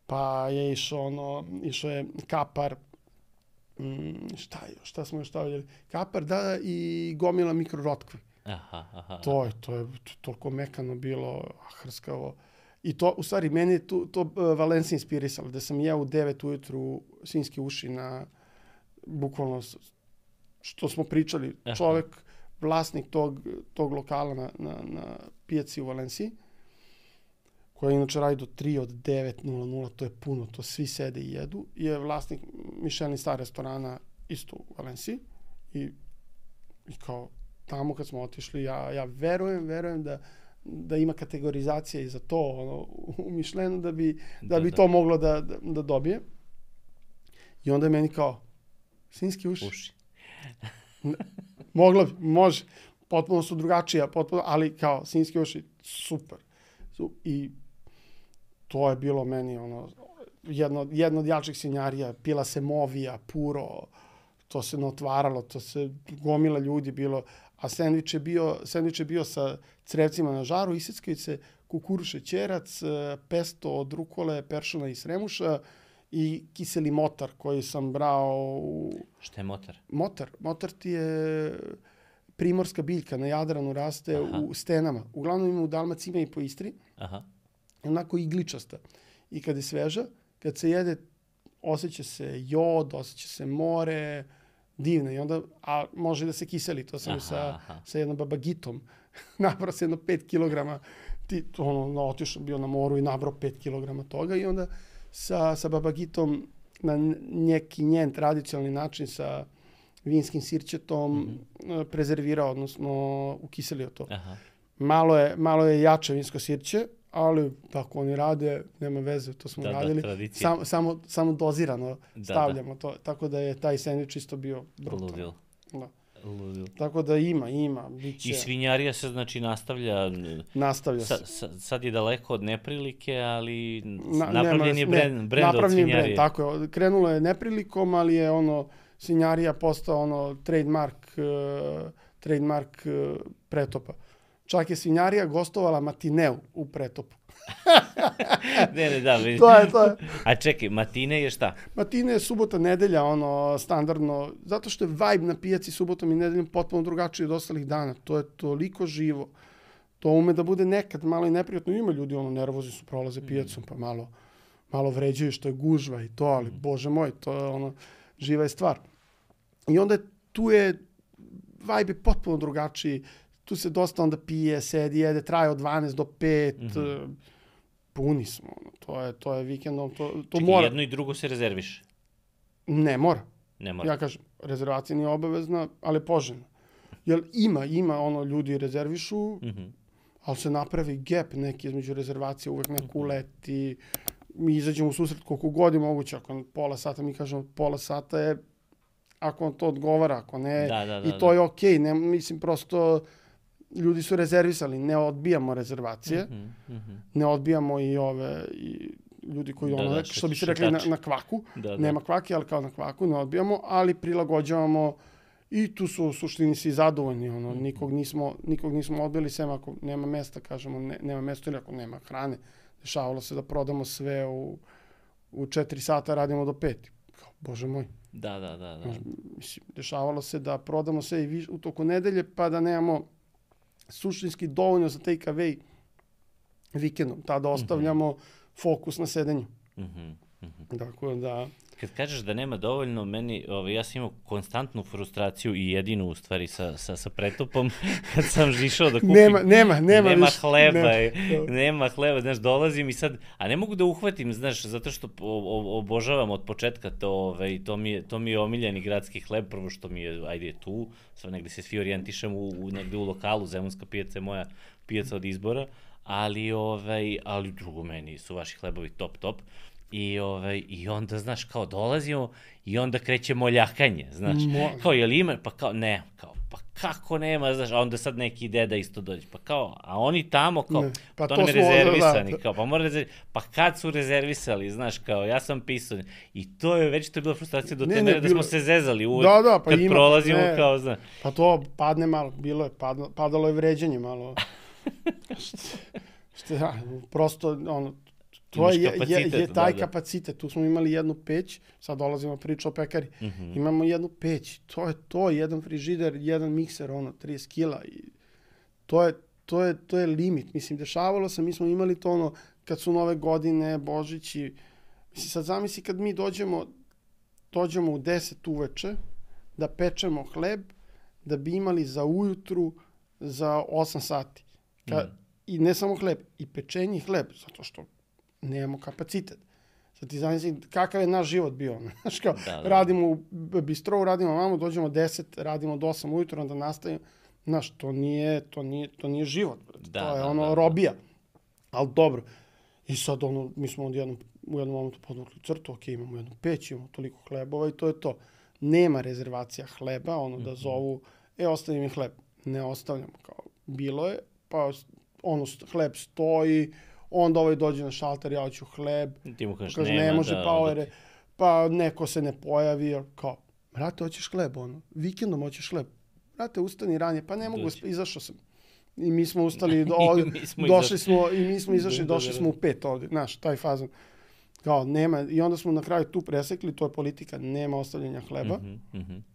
pa je išao je kapar, šta smo još stavljali? Kapar, da, i gomila mikrorotkve. To je toliko mekano bilo, hrskavo. I to, u stvari, meni je to Valencija inspirisalo, da sam ja u 9 ujutru svinjske uši na, bukvalno, što smo pričali, čovek, vlasnik tog lokala na pijaci u Valenciji, koja inače radi do 3 od 9:00, to je puno, to svi sede i jedu, je vlasnik Michelin star restorana isto u Valenciji i kao tamo kad smo otišli, ja verujem da ima kategorizacija i za to u Michelinu da bi to moglo da dobije. I onda je meni kao, svinjski uši. Moglo bi, može. Potpuno su drugačija, ali kao svinjski uši, super. I to je bilo meni jedna od jačih svinjarija, pila se Movija, Puro, to se otvaralo, to se gomila ljudi bilo, a sendvič je bio sa crevcima na žaru, iseckaju se kukuruz šećerac, pesto od rukole, peršuna i sremuša i kiseli motar koji sam brao Šta je motar? Motar ti je primorska biljka, na Jadranu raste u stenama. Uglavnom ima u Dalmaciji, ima i po Istri. Aha. Onako igličasta. I kad je sveža, kad se jede, osjeća se jod, osjeća se more, divno. I onda, a može da se kiseli. To sam sa jednom babagitom. Nabrao se jedno 5 kilograma. Otišao bio na moru i nabrao 5 kilograma toga. I onda sa babagitom na neki njen tradicionalni način sa vinskim sirćetom prezervirao, odnosno ukiselio to. Aha. Malo je jače vinsko sirće, ali tako oni rade, nema veze, to smo radili. Samo dozirano stavljamo to. Tako da je taj sendvič isto bio brutalno. Ludil. Da. Tako da ima. Biće... I svinjarija se znači nastavlja. Nastavlja se. Sad je daleko od neprilike, ali napravljen je brend od svinjarije. Tako je, krenulo je neprilikom, ali je svinjarija postao trademark Pretopa. Čak je svinjarija gostovala matineu u Pretopu. Da. To je. A čekaj, matine je šta? Matine je subota, nedelja, standardno, zato što je vibe na pijaci subotom i nedeljom potpuno drugačiji od ostalih dana. To je toliko živo. To ume da bude nekad malo i neprijatno. Ima ljudi, nervozni su, prolaze pijacom, pa malo vređaju što je gužva i to, ali bože moj, to je živa je stvar. I onda tu je vibe je potpuno drugačiji. Tu se dosta onda pije, sedi, jede, traje od 12 do 5. Puni smo. To je vikendom. To mora. Jedno i drugo se rezerviš? Ne mora. Ne mora. Ja kažem, rezervacija nije obavezna, ali poželjna. Jer ima ljudi rezervišu, ali se napravi gap neki između rezervacije, uvek neko uleti. Mi izađemo u susret koliko god je moguće. Ako pola sata, mi kažemo pola sata je ako vam to odgovara, ako ne, i to je okej. Mislim, prosto ljudi su rezervisali, ne odbijamo rezervacije, ne odbijamo i ljudi koji što bi se rekli na kvaku, nema kvake, ali kao na kvaku, ne odbijamo, ali prilagođavamo i tu su u suštini svi zadovoljni, nikog nismo odbili, sem ako nema mesta, kažemo, nema mesta ili ako nema hrane. Dešavalo se da prodamo sve u 4 sata, radimo do 5. Bože moj. Da. Mislim, dešavalo se da prodamo sve i u toku nedelje, pa da nemamo suštinski dovoljno za take away vikendom. Tada ostavljamo fokus na sedenju. Tako da... Kad kažeš da nema dovoljno, ja sam imao konstantnu frustraciju i jedinu u stvari sa Pretopom, kad sam išao da kupim. Nema hleba, znaš, dolazim i sad, a ne mogu da uhvatim, znaš, zato što obožavam od početka to mi je omiljeni gradski hleb, prvo što mi je, ajde, tu, sad negde se svi orijentišem negde u lokalu, Zemunska pijaca je moja pijaca od izbora, ali drugo, meni su vaši hlebovi top. I onda, znaš, kao dolazimo i onda kreće moljakanje, znaš. Kao, jel ima? Pa kao, ne, kao, pa kako nema, znaš, a onda sad neki deda isto dođe, pa kao, a oni tamo, kao, pa to nam je rezervisani, kao, pa mora rezervisani, pa kad su rezervisali, znaš, kao, ja sam pisao, i to je bila frustracija do te mere da smo se zezali uvek, kad prolazimo, kao, znaš. Pa to padne malo, padalo je vređanje malo. Prosto, to je taj kapacitet. Tu smo imali jednu peć, sad dolazimo priča o pekari. Imamo jednu peć, to je jedan frižider, jedan mikser, 30 kila. To je limit. Mislim, dešavalo se, mi smo imali to kad su nove godine, Božić i... Mislim, sad zamisli kad mi dođemo u 10 uveče da pečemo hleb, da bi imali za ujutru za 8 sati. I ne samo hleb, i pečenje hleb, zato što nemamo kapacitet. Sad ti zamisli kakav je naš život bio. Znaš kao, radimo u bistrovu, radimo vamo, dođemo 10, radimo do 8 ujutro, onda nastavimo. Znaš, to nije život. To je robija. Ali dobro. I sad mi smo u jednom momentu podvukli crtu, ok, imamo jednu peć, imamo toliko hlebova i to je to. Nema rezervacija hleba, da zovu, ostavi mi hleb. Ne ostavljamo, kao, bilo je, pa hleb stoji, onda ovaj dođe na šalter, ja hoću hleb, Ti mu kažeš kaže, nema, ne može, da, pa onda ove, pa neko se ne pojavi, kao, brate, hoćeš hleb, ono, vikendom hoćeš hleb, brate, ustani ranije, pa ne mogu, Dođi. izašao sam. I mi smo ustali, došli došli smo u 5 ovdje, znaš, taj fazon. Kao, nema, i onda smo na kraju tu presekli, to je politika, nema ostavljanja hleba,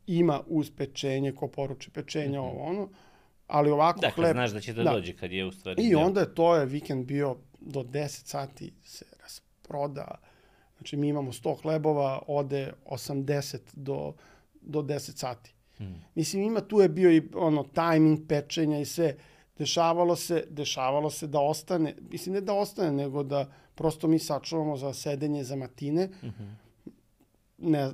ima uz pečenje, ko poruči pečenje, ovo ono, ali ovako da, hleb... kad znaš da će da dođe, kad je u stvari... I onda to je vikend bio do 10 sati se rasproda. Znači mi imamo 100 hlebova, ode 80 do 10 sati. Mislim, tu je bio i ono tajming pečenja i sve. Dešavalo se da ostane, mislim ne da ostane, nego da prosto mi sačuvamo za sedenje, za matine. Ne,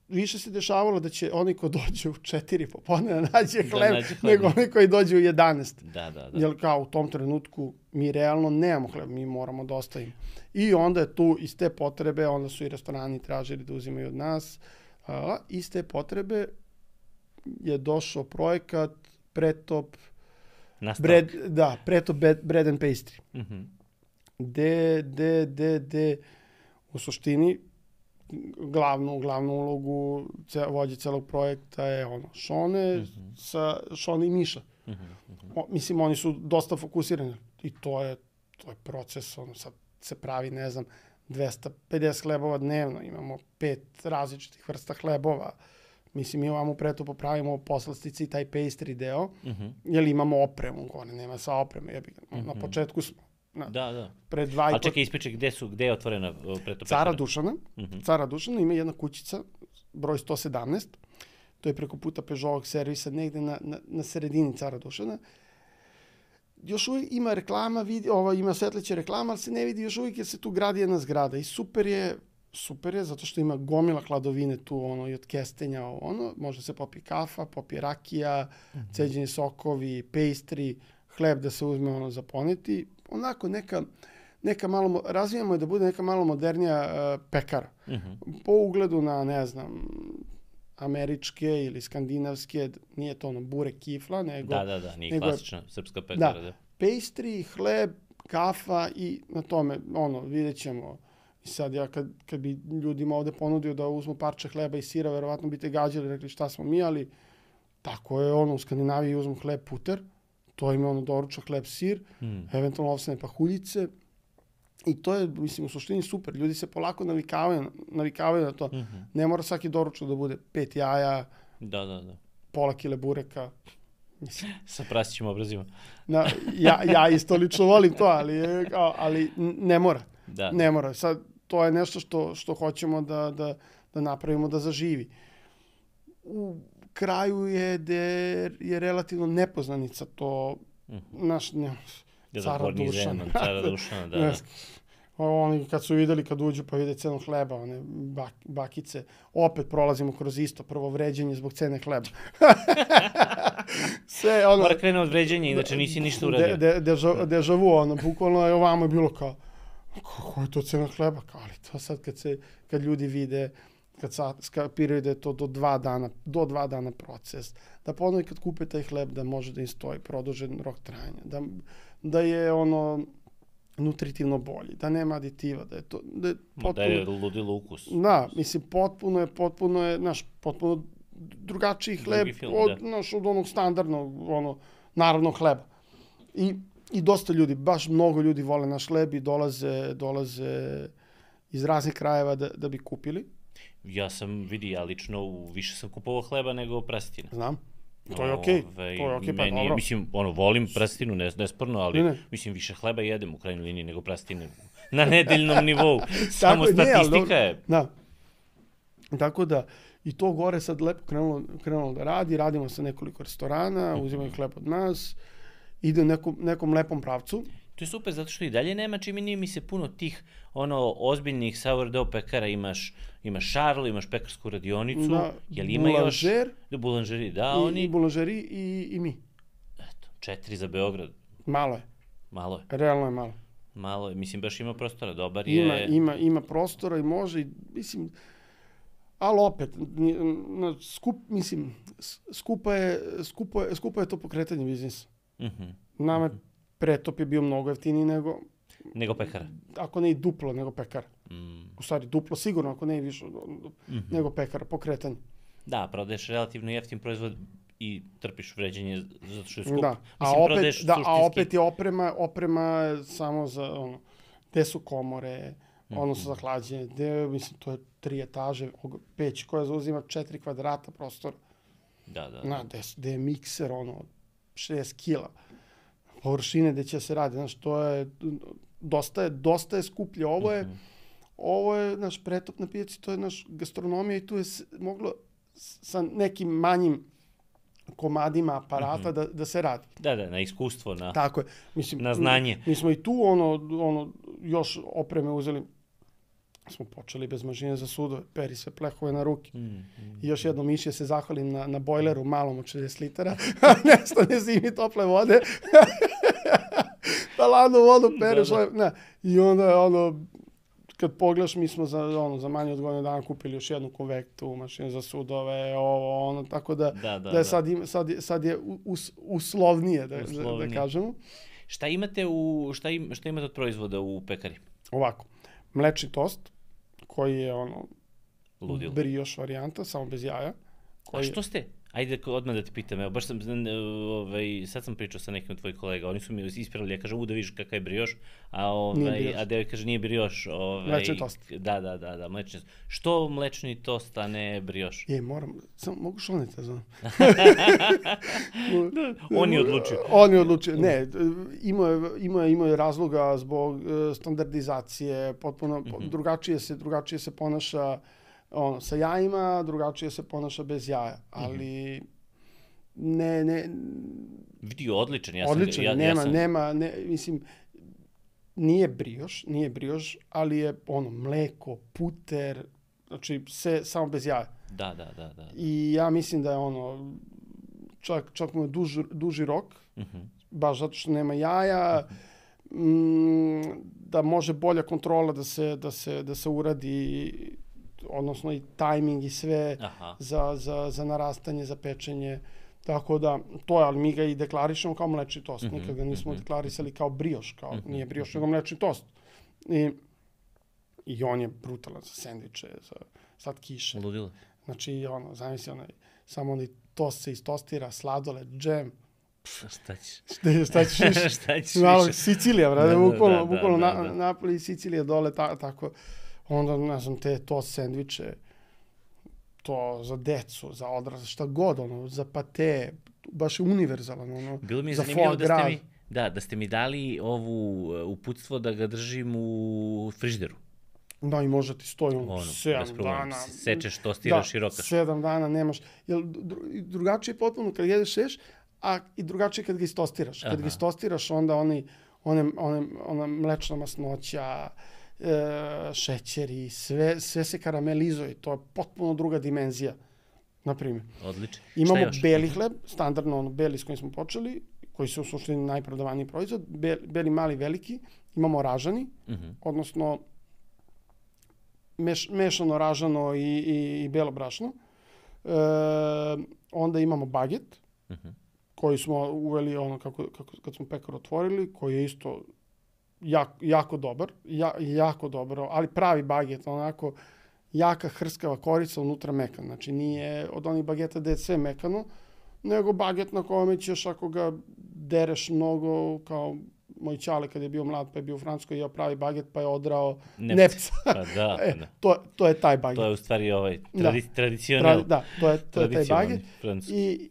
više se dešavalo da će oni ko dođe u 4 popodne nađe hleb, nego oni koji dođe u 11. Da. Jer kao u tom trenutku mi realno nemamo hleb, mi moramo da ostavimo. I onda je tu iz te potrebe, onda su i restorani tražili da uzimaju od nas. Iz te potrebe je došao projekat Pretop Bread and Pastry. Gde u suštini glavnu ulogu vođe celog projekta je Šone i Miša. Mislim, oni su dosta fokusirani i to je proces, sad se pravi, ne znam, 250 hlebova dnevno, imamo 5 različitih vrsta hlebova. Mislim, mi ovamo preto popravimo poslastice i taj pastry deo, jer imamo opremu, gore nema sa opreme, na početku smo. Da. Ali čekaj, ispričaj, gde je otvorena preto pekara? Cara Dušana ima jedna kućica, broj 117, to je preko puta Peugeotovog servisa, negde na sredini Cara Dušana. Još uvijek ima reklama, ima svetleće reklama, ali se ne vidi još uvijek jer se tu gradi jedna zgrada i super je, zato što ima gomila hladovine tu, i od kestenja, može se popije kafa, popije rakija, ceđeni sokovi, pastry, hleb da se uzme za poneti. Onako neka malo, razvijamo je da bude neka malo modernija pekara. Po ugledu na, ne znam, američke ili skandinavske, nije to burek kifla, nego... Da, nije klasična srpska pekara. Da, pastry, hleb, kafa i na tome, vidjet ćemo. I sad ja kad bi ljudima ovde ponudio da uzmu parče hleba i sira, verovatno bi te gađali, rekli šta smo mi, ali tako je u Skandinaviji uzmu hleb puter, to ima doručak, hleb, sir, eventualno ovsene pahuljice. I to je, mislim, u suštini super. Ljudi se polako navikavaju na to. Ne mora svaki doručak da bude 5 jaja, pola kile bureka. Sa prasićim obrazima. Ja isto lično volim to, ali ne mora. Ne mora. Sad, to je nešto što hoćemo da napravimo da zaživi. U kraju je relativno nepoznanica to naš Cara Dušana. Da. Oni kad su videli, kad uđu pa vide cenu hleba, one bakice, opet prolazimo kroz isto, prvo vređenje zbog cene hleba. Mora krenu od vređenja, inače nisi ništa uradio. Deja vu, bukvalno je ovamo je bilo kao, kako je to cena hleba? Ali to sad kad ljudi vide, kad skapiraju da je to do 2 dana proces, da ponovi kad kupe taj hleb da može da im stoji produžen rok trajanja, da je nutritivno bolji, da nema aditiva, da je to... Da je ludilo ukus. Da, mislim, potpuno je, potpuno drugačiji hleb od onog standardnog, narodnog hleba. I dosta ljudi, baš mnogo ljudi vole naš hleb i dolaze iz raznih krajeva da bi kupili. Ja lično više sam kupovao hleba nego prastina. Znam. To je okej, pa dobro. Mislim, volim prastinu, nesporno, ali mislim, više hleba jedem u krajnjoj liniji nego prastine na nedeljnom nivou. Samo statistika je. Da. Tako da, i to gore sad lepo krenulo da radi, radimo sa nekoliko restorana, uzimaju hleb od nas, ide u nekom lepom pravcu. To je super, zato što i dalje nema, čini mi se, puno tih ozbiljnih sourdough pekara. Imaš Charles, imaš pekarsku radionicu, jel ima još? Bulanžeri, da, oni... I bulanžeri i mi. Eto, 4 za Beograd. Malo je. Realno je malo. Malo je, mislim, baš ima prostora, dobar je... Ima prostora i može, mislim... Ali opet, skupo je to pokretanje biznisa. Nama Pretop je bio mnogo jeftiniji nego Nego pekara. Ako ne i duplo nego pekara. Mm. U stvari duplo sigurno, ako ne i više nego pekara po kretanju. Da, prodaješ relativno jeftin proizvod i trpiš vređenje zato što je skup. Da, a opet je oprema samo za ono, gde su komore, odnosno za hlađenje, mislim, to je 3 etaže, peć koja zauzima 4 kvadrata prostora. Da. Gde je mikser, 60 kila. Površine gde će se raditi, znaš, to je, dosta je skuplje. Ovo je naš pretop na pijaci, to je naš gastronomija i tu je moglo sa nekim manjim komadima aparata da se radi. Da, na iskustvo, tako je. Mislim, na znanje. Mi smo i tu još opreme uzeli. Smo počeli bez mašine za sudove, peri sve plehove na ruke. I još jednom Miši se zahvalim na bojleru malom od 60 litara. Nestane zimi tople vode. Pa ladnu vodu pereš. I onda kad pogledaš, mi smo za manje od godinu dana kupili još jednu konvektu, mašinu za sudove, tako da je sad je uslovnije, da kažemo. Šta imate od proizvoda u pekari? Ovako, mlečni tost, koji je brioš varijanta, samo bez jaja. A što ste? Ajde odmah da te pitam, evo, baš sam, sad sam pričao sa nekim od tvojih kolega, oni su mi ispravili, ja kažem, da vidiš kakav je brioš, a devoj kaže, nije brioš. Mlečni tost. Da, mlečni tost. Što mlečni tost, a ne brioš? Samo mogu šoniti, znam. On je odlučio. On je odlučio, ne, imao je razloga zbog standardizacije, potpuno drugačije se ponaša sa jajima, drugačije se ponaša bez jaja, ali ne... Vidi, odličan, mislim, nije brioš, ali je mleko, puter, znači sve samo bez jaja. Da. I ja mislim da je čak mu je duži rok, baš zato što nema jaja, da može bolja kontrola da se uradi, odnosno i tajming i sve za narastanje, za pečenje. Tako da, to je, ali mi ga i deklarišemo kao mlečni tost. Nikad ga nismo deklarisali kao brioš, nije brioš, nego mlečni tost. I on je brutalan za sendviče, za slatkiše. Ludilo. Znači, zamisli, samo onaj tost se istostira, sladoled, džem. Šta ćeš? Šta ćeš više? Sicilija, brate, bukvalno Napoli i Sicilija dole, tako. Onda, ne znam, te tost sendviče, to za decu, za odrasle, šta god, za pate, baš je univerzalan, bilo mi je za zanimljivo da ste mi dali ovu uputstvo da ga držim u frižideru. Da, i možda ti stoji 7 dana. Sečeš, tostiraš i rokaš. 7 dana nemaš. Drugačije je potpuno kad jedeš a i drugačije kad ga istostiraš. Kad ga istostiraš, onda ona mlečna masnoća, šećeri, sve se karamelizuje. To je potpuno druga dimenzija, na primjer. Odlično. Imamo beli hleb, standardno beli s kojim smo počeli, koji su u suštini najprodavaniji proizvod, beli, mali, veliki. Imamo ražani, odnosno mešano ražano i belo brašno. Onda imamo baget, koji smo uveli kad smo pekar otvorili, koji je isto jako dobar, ali pravi baget, onako jaka hrskava korica, unutra mekan. Znači nije od onih bageta gde je sve mekano, nego baget na kome ćeš, ako ga dereš mnogo, kao moj ćale kad je bio mlad pa je bio u Francuskoj, jeo pravi baget pa je odrao nepca. To je taj baget. To je u stvari tradicional. Da, to je taj baget. I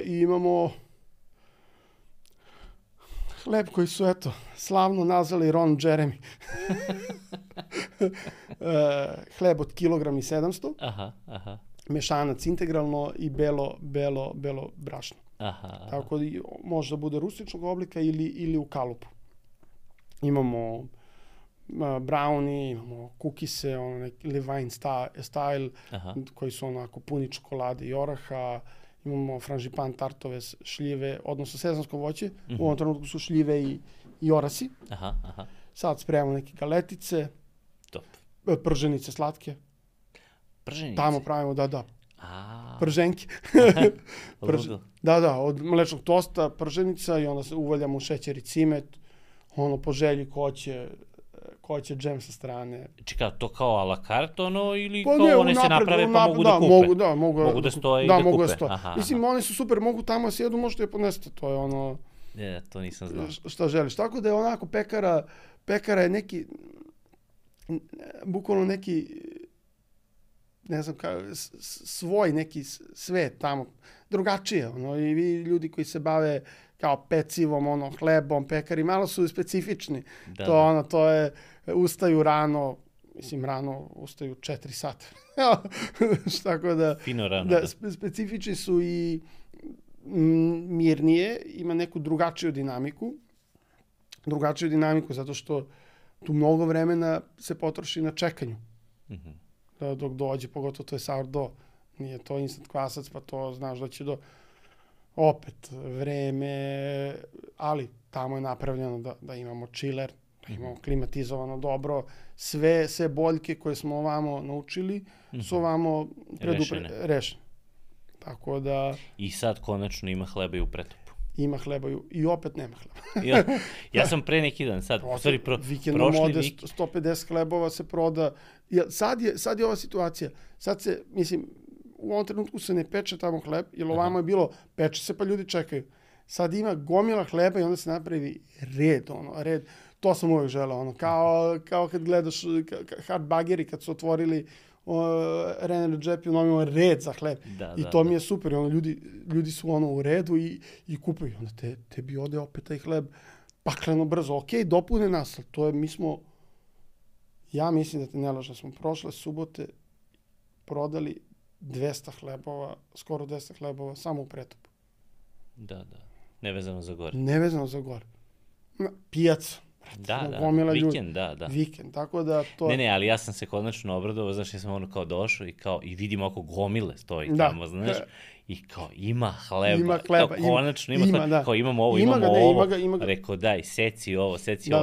imamo hleb koji su, slavno nazvali Ron Jeremy. Hleb od 1,7 kg. Mešanac integralno i belo brašno. Tako da može da bude rustičnog oblika ili u kalupu. Imamo brownie, imamo kukise, Levain style, koji su onako puni čokolade i oraha. Imamo franžipan, tartove, šljive, odnosno sezonsko voće. U ovom trenutku su šljive i orasi. Sad spremamo neke galetice. Top. Prženice slatke. Prženice? Tamo pravimo, da. Prženke. Ludo. Da, od mlečnog tosta, prženica i onda se uvaljamo šećer i cimet. ono, po želji ko će džem sa strane. Čekaj, to kao a la carte ono ili Pa kao ne, one se naprave pa mogu da kupe? Mogu da stoje i da kupe? Mogu da stoje. Aha, Mislim, oni su super, mogu tamo sjedu, možete je ponesti, to je ono... To nisam znao. Šta želiš. Tako da je onako pekara je neki, bukvalno neki, ne znam, svoj neki svet tamo, drugačije, ono, i vi ljudi koji se bave kao pecivom, ono, hlebom, pekari, malo su specifični. To je, ustaju rano, mislim, rano ustaju 4 sata. Tako da, fino rano, da. Specifični su i mirnije, ima neku drugačiju dinamiku, zato što tu mnogo vremena se potroši na čekanju. Dok dođe, pogotovo to je sourdough. Nije to instant kvasac, pa to znaš da će opet vreme, ali tamo je napravljeno da imamo chiller, da imamo klimatizovano dobro, sve boljke koje smo ovamo naučili su ovamo rešene. Tako da... I sad konačno ima hleba i u Pretopu. Ima hleba i opet nema hleba. Ja sam pre neki dan, sad, u stvari vikendom ode 150 hlebova se proda. Sad je ova situacija. Sad se, mislim, u ovom trenutku se ne peče tamo hleb, jer ovamo je bilo, peče se pa ljudi čekaju. Sad ima gomila hleba i onda se napravi red. To sam uvijek želeo, kao kad gledaš hard bageri, kad su otvorili René Redzepi, imamo red za hleb. I to mi je super. Ljudi su u redu i kupuju. Onda tebi ode opet taj hleb pakleno brzo. Ok, dopune nas, ali to je, ja mislim da te ne lažem, smo prošle subote prodali 200 hlebova, skoro 200 hlebova, samo u Pretopu. Da. Nevezano za gore. Pijaca. Vikend, da. Vikend, tako da to... Ne, ali ja sam se konačno obradovao, znaš, ja sam kao došao i vidim oko gomile stoji tamo, znaš, i kao ima hleba, konačno ima hleba, kao imamo ovo, rekao daj, seci ovo,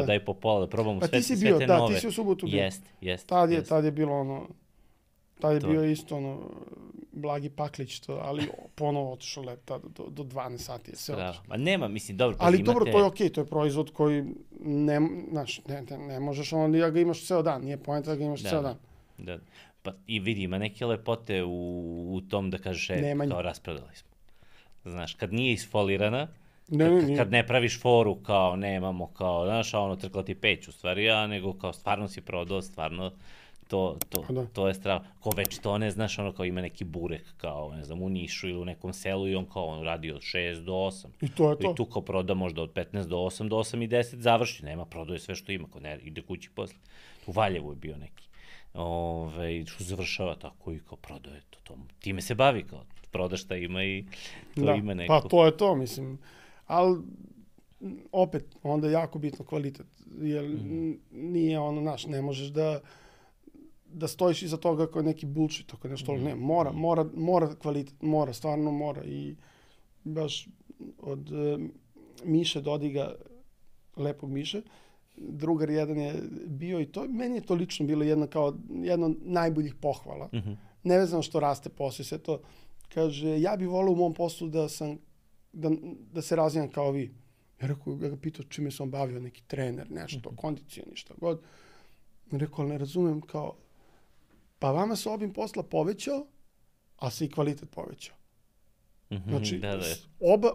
daj po pola, da probamo sve te nove. Ti si u subotu bio. Jest. Tad je bilo tad je bio isto Blagi Paklić, ali ponovo otišao let do 12 sati je sve otišao. Ma nema, mislim, dobro. Ali dobro, to je okej, to je proizvod koji ne možeš da ga imaš ceo dan, nije poenta da ga imaš ceo dan. Da, pa i vidi, ima neke lepote u tom da kažeš, kao rasprodali smo. Znaš, kad nije isfolirana, kad ne praviš foru kao nemamo, kao, znaš, trkla ti peć u stvari, nego kao stvarno si prodao, stvarno to je strava. Ko već to ne znaš, kao ima neki burek, kao, ne znam, u Nišu ili u nekom selu i on kao radi od 6 do 8. I to je to. I tu kao proda možda od 15 do 8, do 8 i 10 završi, nema, prodaje sve što ima, kao ne, ide kući posle. U Valjevu je bio neki. Što završava tako i kao prodaje to. Time se bavi, kao, proda šta ima i to ima neko. Pa to je to, mislim. Ali, opet, onda je jako bitno kvalitet. Jer nije ne možeš da stojiš iza toga kao neki bullshit, ako nešto, ne, mora kvalitet, stvarno mora. I baš od Miše Dodiga, lepog Miše, drugar jedan je bio i to, meni je to lično bilo jedna od najboljih pohvala. Nevezano što raste posao i sve to. Kaže, ja bih volio u mom poslu da se razvijam kao vi. Ja ga pitao čime sam bavio, neki trener, nešto, kondicija, ništa god. Rekao, ne razumem, kao, pa vama se obim posla povećao, a se i kvalitet povećao. Znači, oba,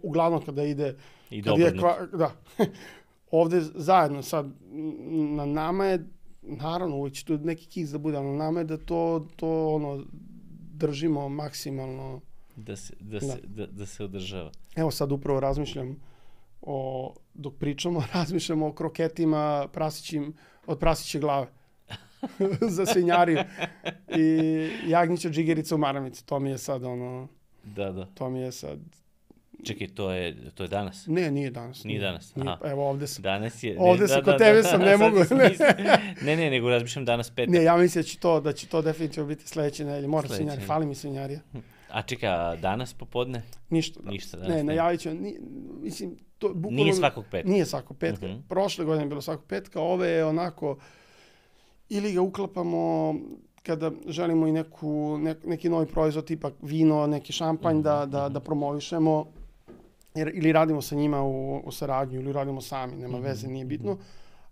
uglavnom kada ide... I dobrno. Da. Ovde zajedno sad, na nama je, naravno, uvijek će tu neki kiks da bude, ali na nama je da to držimo maksimalno. Da se održava. Evo sad upravo razmišljam dok pričamo, razmišljamo o kroketima od prasiće glave. Za svinjariju. I jagnjića džigerica u maramici. To mi je sad Da. To mi je sad... Čekaj, to je danas? Ne, nije danas. Nije danas, Evo, ovde sam. Danas je... Ovde sam, kod tebe sam, ne mogu. Ne, nego razmišljam danas petak. Ne, ja mislim da će to definitivno biti sledeće nedelje. Mora svinjarija, fali mi svinjarija. A čekaj, danas popodne? Ništa. Ne, najavit ću. Mislim, to bukvalno... Nije svakog petka? Nije svakog petka. Prošle godine je bilo svakog petka, ove je onako... Ili ga uklapamo kada želimo i neki novi proizvod, tipa vino, neki šampanj da promovišemo. ili radimo sa njima u saradnju, ili radimo sami, nema veze, nije bitno.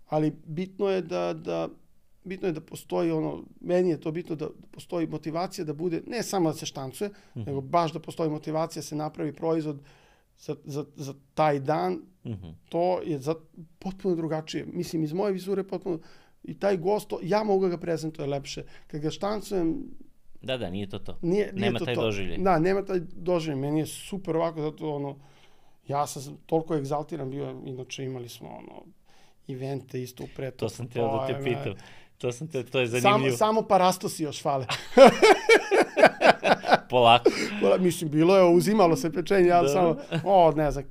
Ali bitno je da postoji meni je to bitno da postoji motivacija da bude, ne samo da se štancuje, nego baš da postoji motivacija da se napravi proizvod za taj dan. To je potpuno drugačije. Mislim, iz moje vizure potpuno, i taj gost, ja mogu da ga prezentuje lepše. Kad ga štancujem... Da, nije to. Nije nema to taj doživljaj. Da, nema taj doživljaj. Meni je super ovako, zato ja sam toliko egzaltiran bio, inače imali smo evente isto u preto. To sam teo da te pitam. To je zanimljivo. Samo parastosi još fale. Polako. Mislim, bilo je, uzimalo se pečenje, ja samo, ne znam,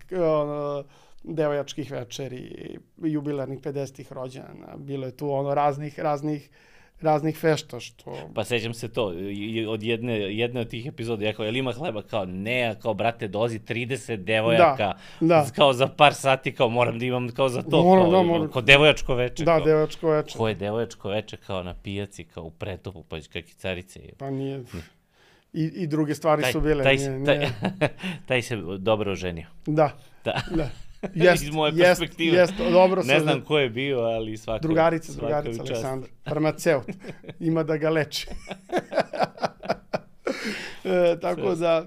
devojačkih večeri, jubilarnih 50-ih rođena, bilo je tu raznih fešta, što... Pa sećam se to, od jedne od tih epizoda, ja kao, jel ima hleba? Kao, ne, kao, brate, dozi 30 devojaka, kao za par sati, kao, moram da imam kao za to, kao devojačko veče. Da, devojačko veče. Ko je devojačko veče, kao na pijaci, kao u Pretopu, pa kakicarice. Pa nije... I druge stvari su bile. Taj se dobro oženio. Da. Iz moje perspektive. Dobro. Ne znam ko je bio, ali svaka Drugarica Aleksandra. Farmaceut. Ima da ga leči.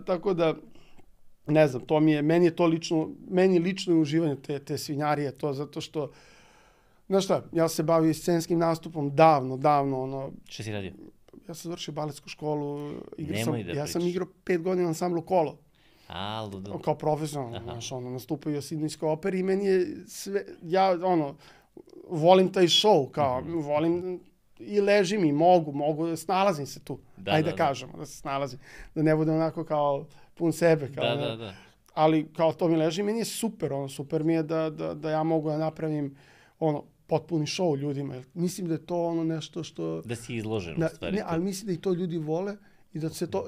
Tako da, ne znam, meni je to lično uživanje te svinjarije, to zato što, znaš šta, ja se bavio scenskim nastupom davno. Što si radio? Ja sam završio baletsku školu, ja sam igrao 5 godina ansamblu Kolo. Ludo. Kao profesionalno, nastupio u Sidnejskoj operi i meni je sve, volim taj show, kao, volim i ležim i mogu, snalazim se tu, ajde da kažemo, da se snalazim, da ne bude onako kao pun sebe, kao, da. Ali kao to mi leži, meni je super, super mi je da ja mogu da napravim, potpuni show ljudima, mislim da je to nešto što... Da si izložen u stvari. Ne, ali mislim da i to ljudi vole i da se to,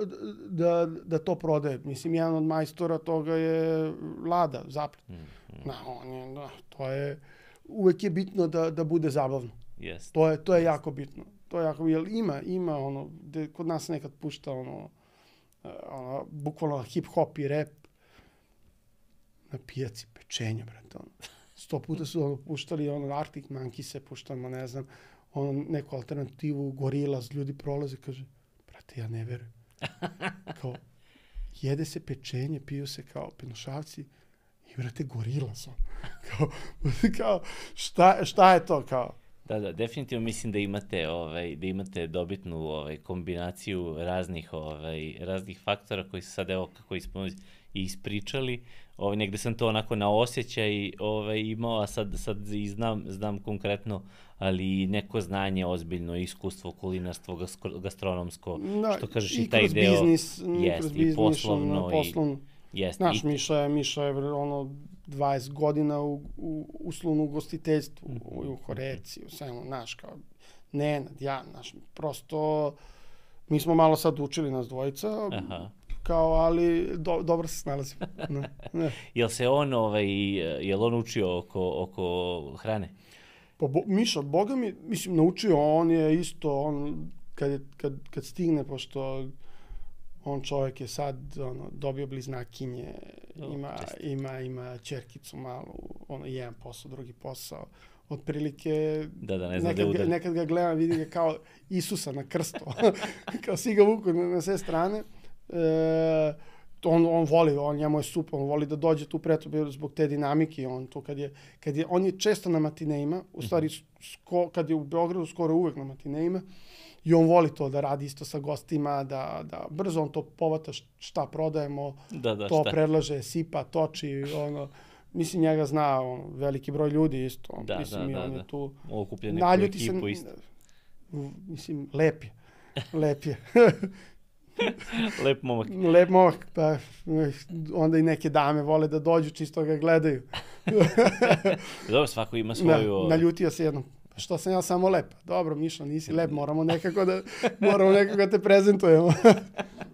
da to prodaje. Mislim, jedan od majstora toga je Lada Zaplet. To je, uvek je bitno da bude zabavno. To je jako bitno. Jer ima kod nas nekad pušta bukvalno hip-hop i rap na pijaci pečenja, brate, 100 puta su puštali Arctic Monkeys, puštamo, ne znam, neku alternativu, Gorillaz, ljudi prolaze, kaže, brate, ja ne verujem. Kao, jede se pečenje, piju se kao penošavci i, brate, Gorillaz. Kao, šta je to, kao? Da, definitivno mislim da imate dobitnu kombinaciju raznih faktora koji su sad, evo, kako smo ispričali. Negde sam to onako na osjećaj imao, a sad i znam konkretno, ali neko znanje, ozbiljno iskustvo, kulinarstvo, gastronomsko, što kažeš i taj deo. I poslovno. Znaš, Miša je 20 godina u uslovnom ugostiteljstvu, u Horeci, u svemu, znaš, kao Nenad, ja, znaš, prosto, mi smo malo sad učili nas dvojica, kao, ali dobro se snalazim. Jel se jel on učio oko hrane? Pa Miša, boga mi, mislim, naučio, on je isto, kad stigne, pošto on čovjek je sad dobio bliznakinje, ima ćerkicu malu, jedan posao, drugi posao. Otprilike, nekad ga gledam, vidim ga kao Isusa na krstu, kao svi ga vuku na sve strane. On voli, njemu je super, on voli da dođe tu preto zbog te dinamike, on je često na matineima, u stvari kad je u Beogradu skoro uvek na matineima, i on voli to da radi isto sa gostima, da brzo on to povata šta prodajemo, to predlaže, sipa, toči, mislim, njega zna veliki broj ljudi isto, mislim, i on je tu, naljuti se, mislim, lep je. Lep momak. Lep momak, pa onda i neke dame vole da dođu, čisto ga gledaju. Dobro, svako ima svoju... Naljutio se jednom. Što sam ja samo lep? Dobro, Mišo, nisi lep, moramo nekako da te prezentujemo.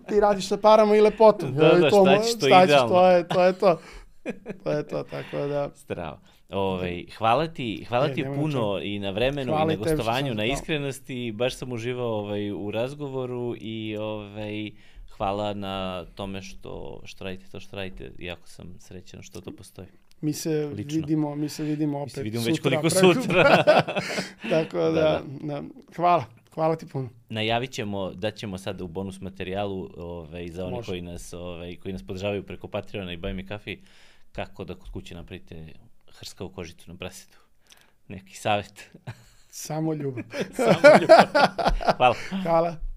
Ti radiš sa parama i lepotom. Šta ćeš, to je idealno. To je to. To je to, tako da... Strava. Hvala ti puno i na vremenu i na gostovanju, na iskrenosti. Baš sam uživao u razgovoru i hvala na tome što radite to što radite. Jako sam srećan što to postoji. Mi se vidimo opet sutra. Mi se vidimo već koliko sutra. Tako da. Hvala ti puno. Najavit ćemo, daćemo sad u bonus materijalu za one koji nas podržavaju preko Patreona i Buy Me Coffee, kako da kod kuće napravite hrskavu kožicu na prasetu. Neki savjet. Samo ljubav. Samo ljubav. Hvala. Hvala.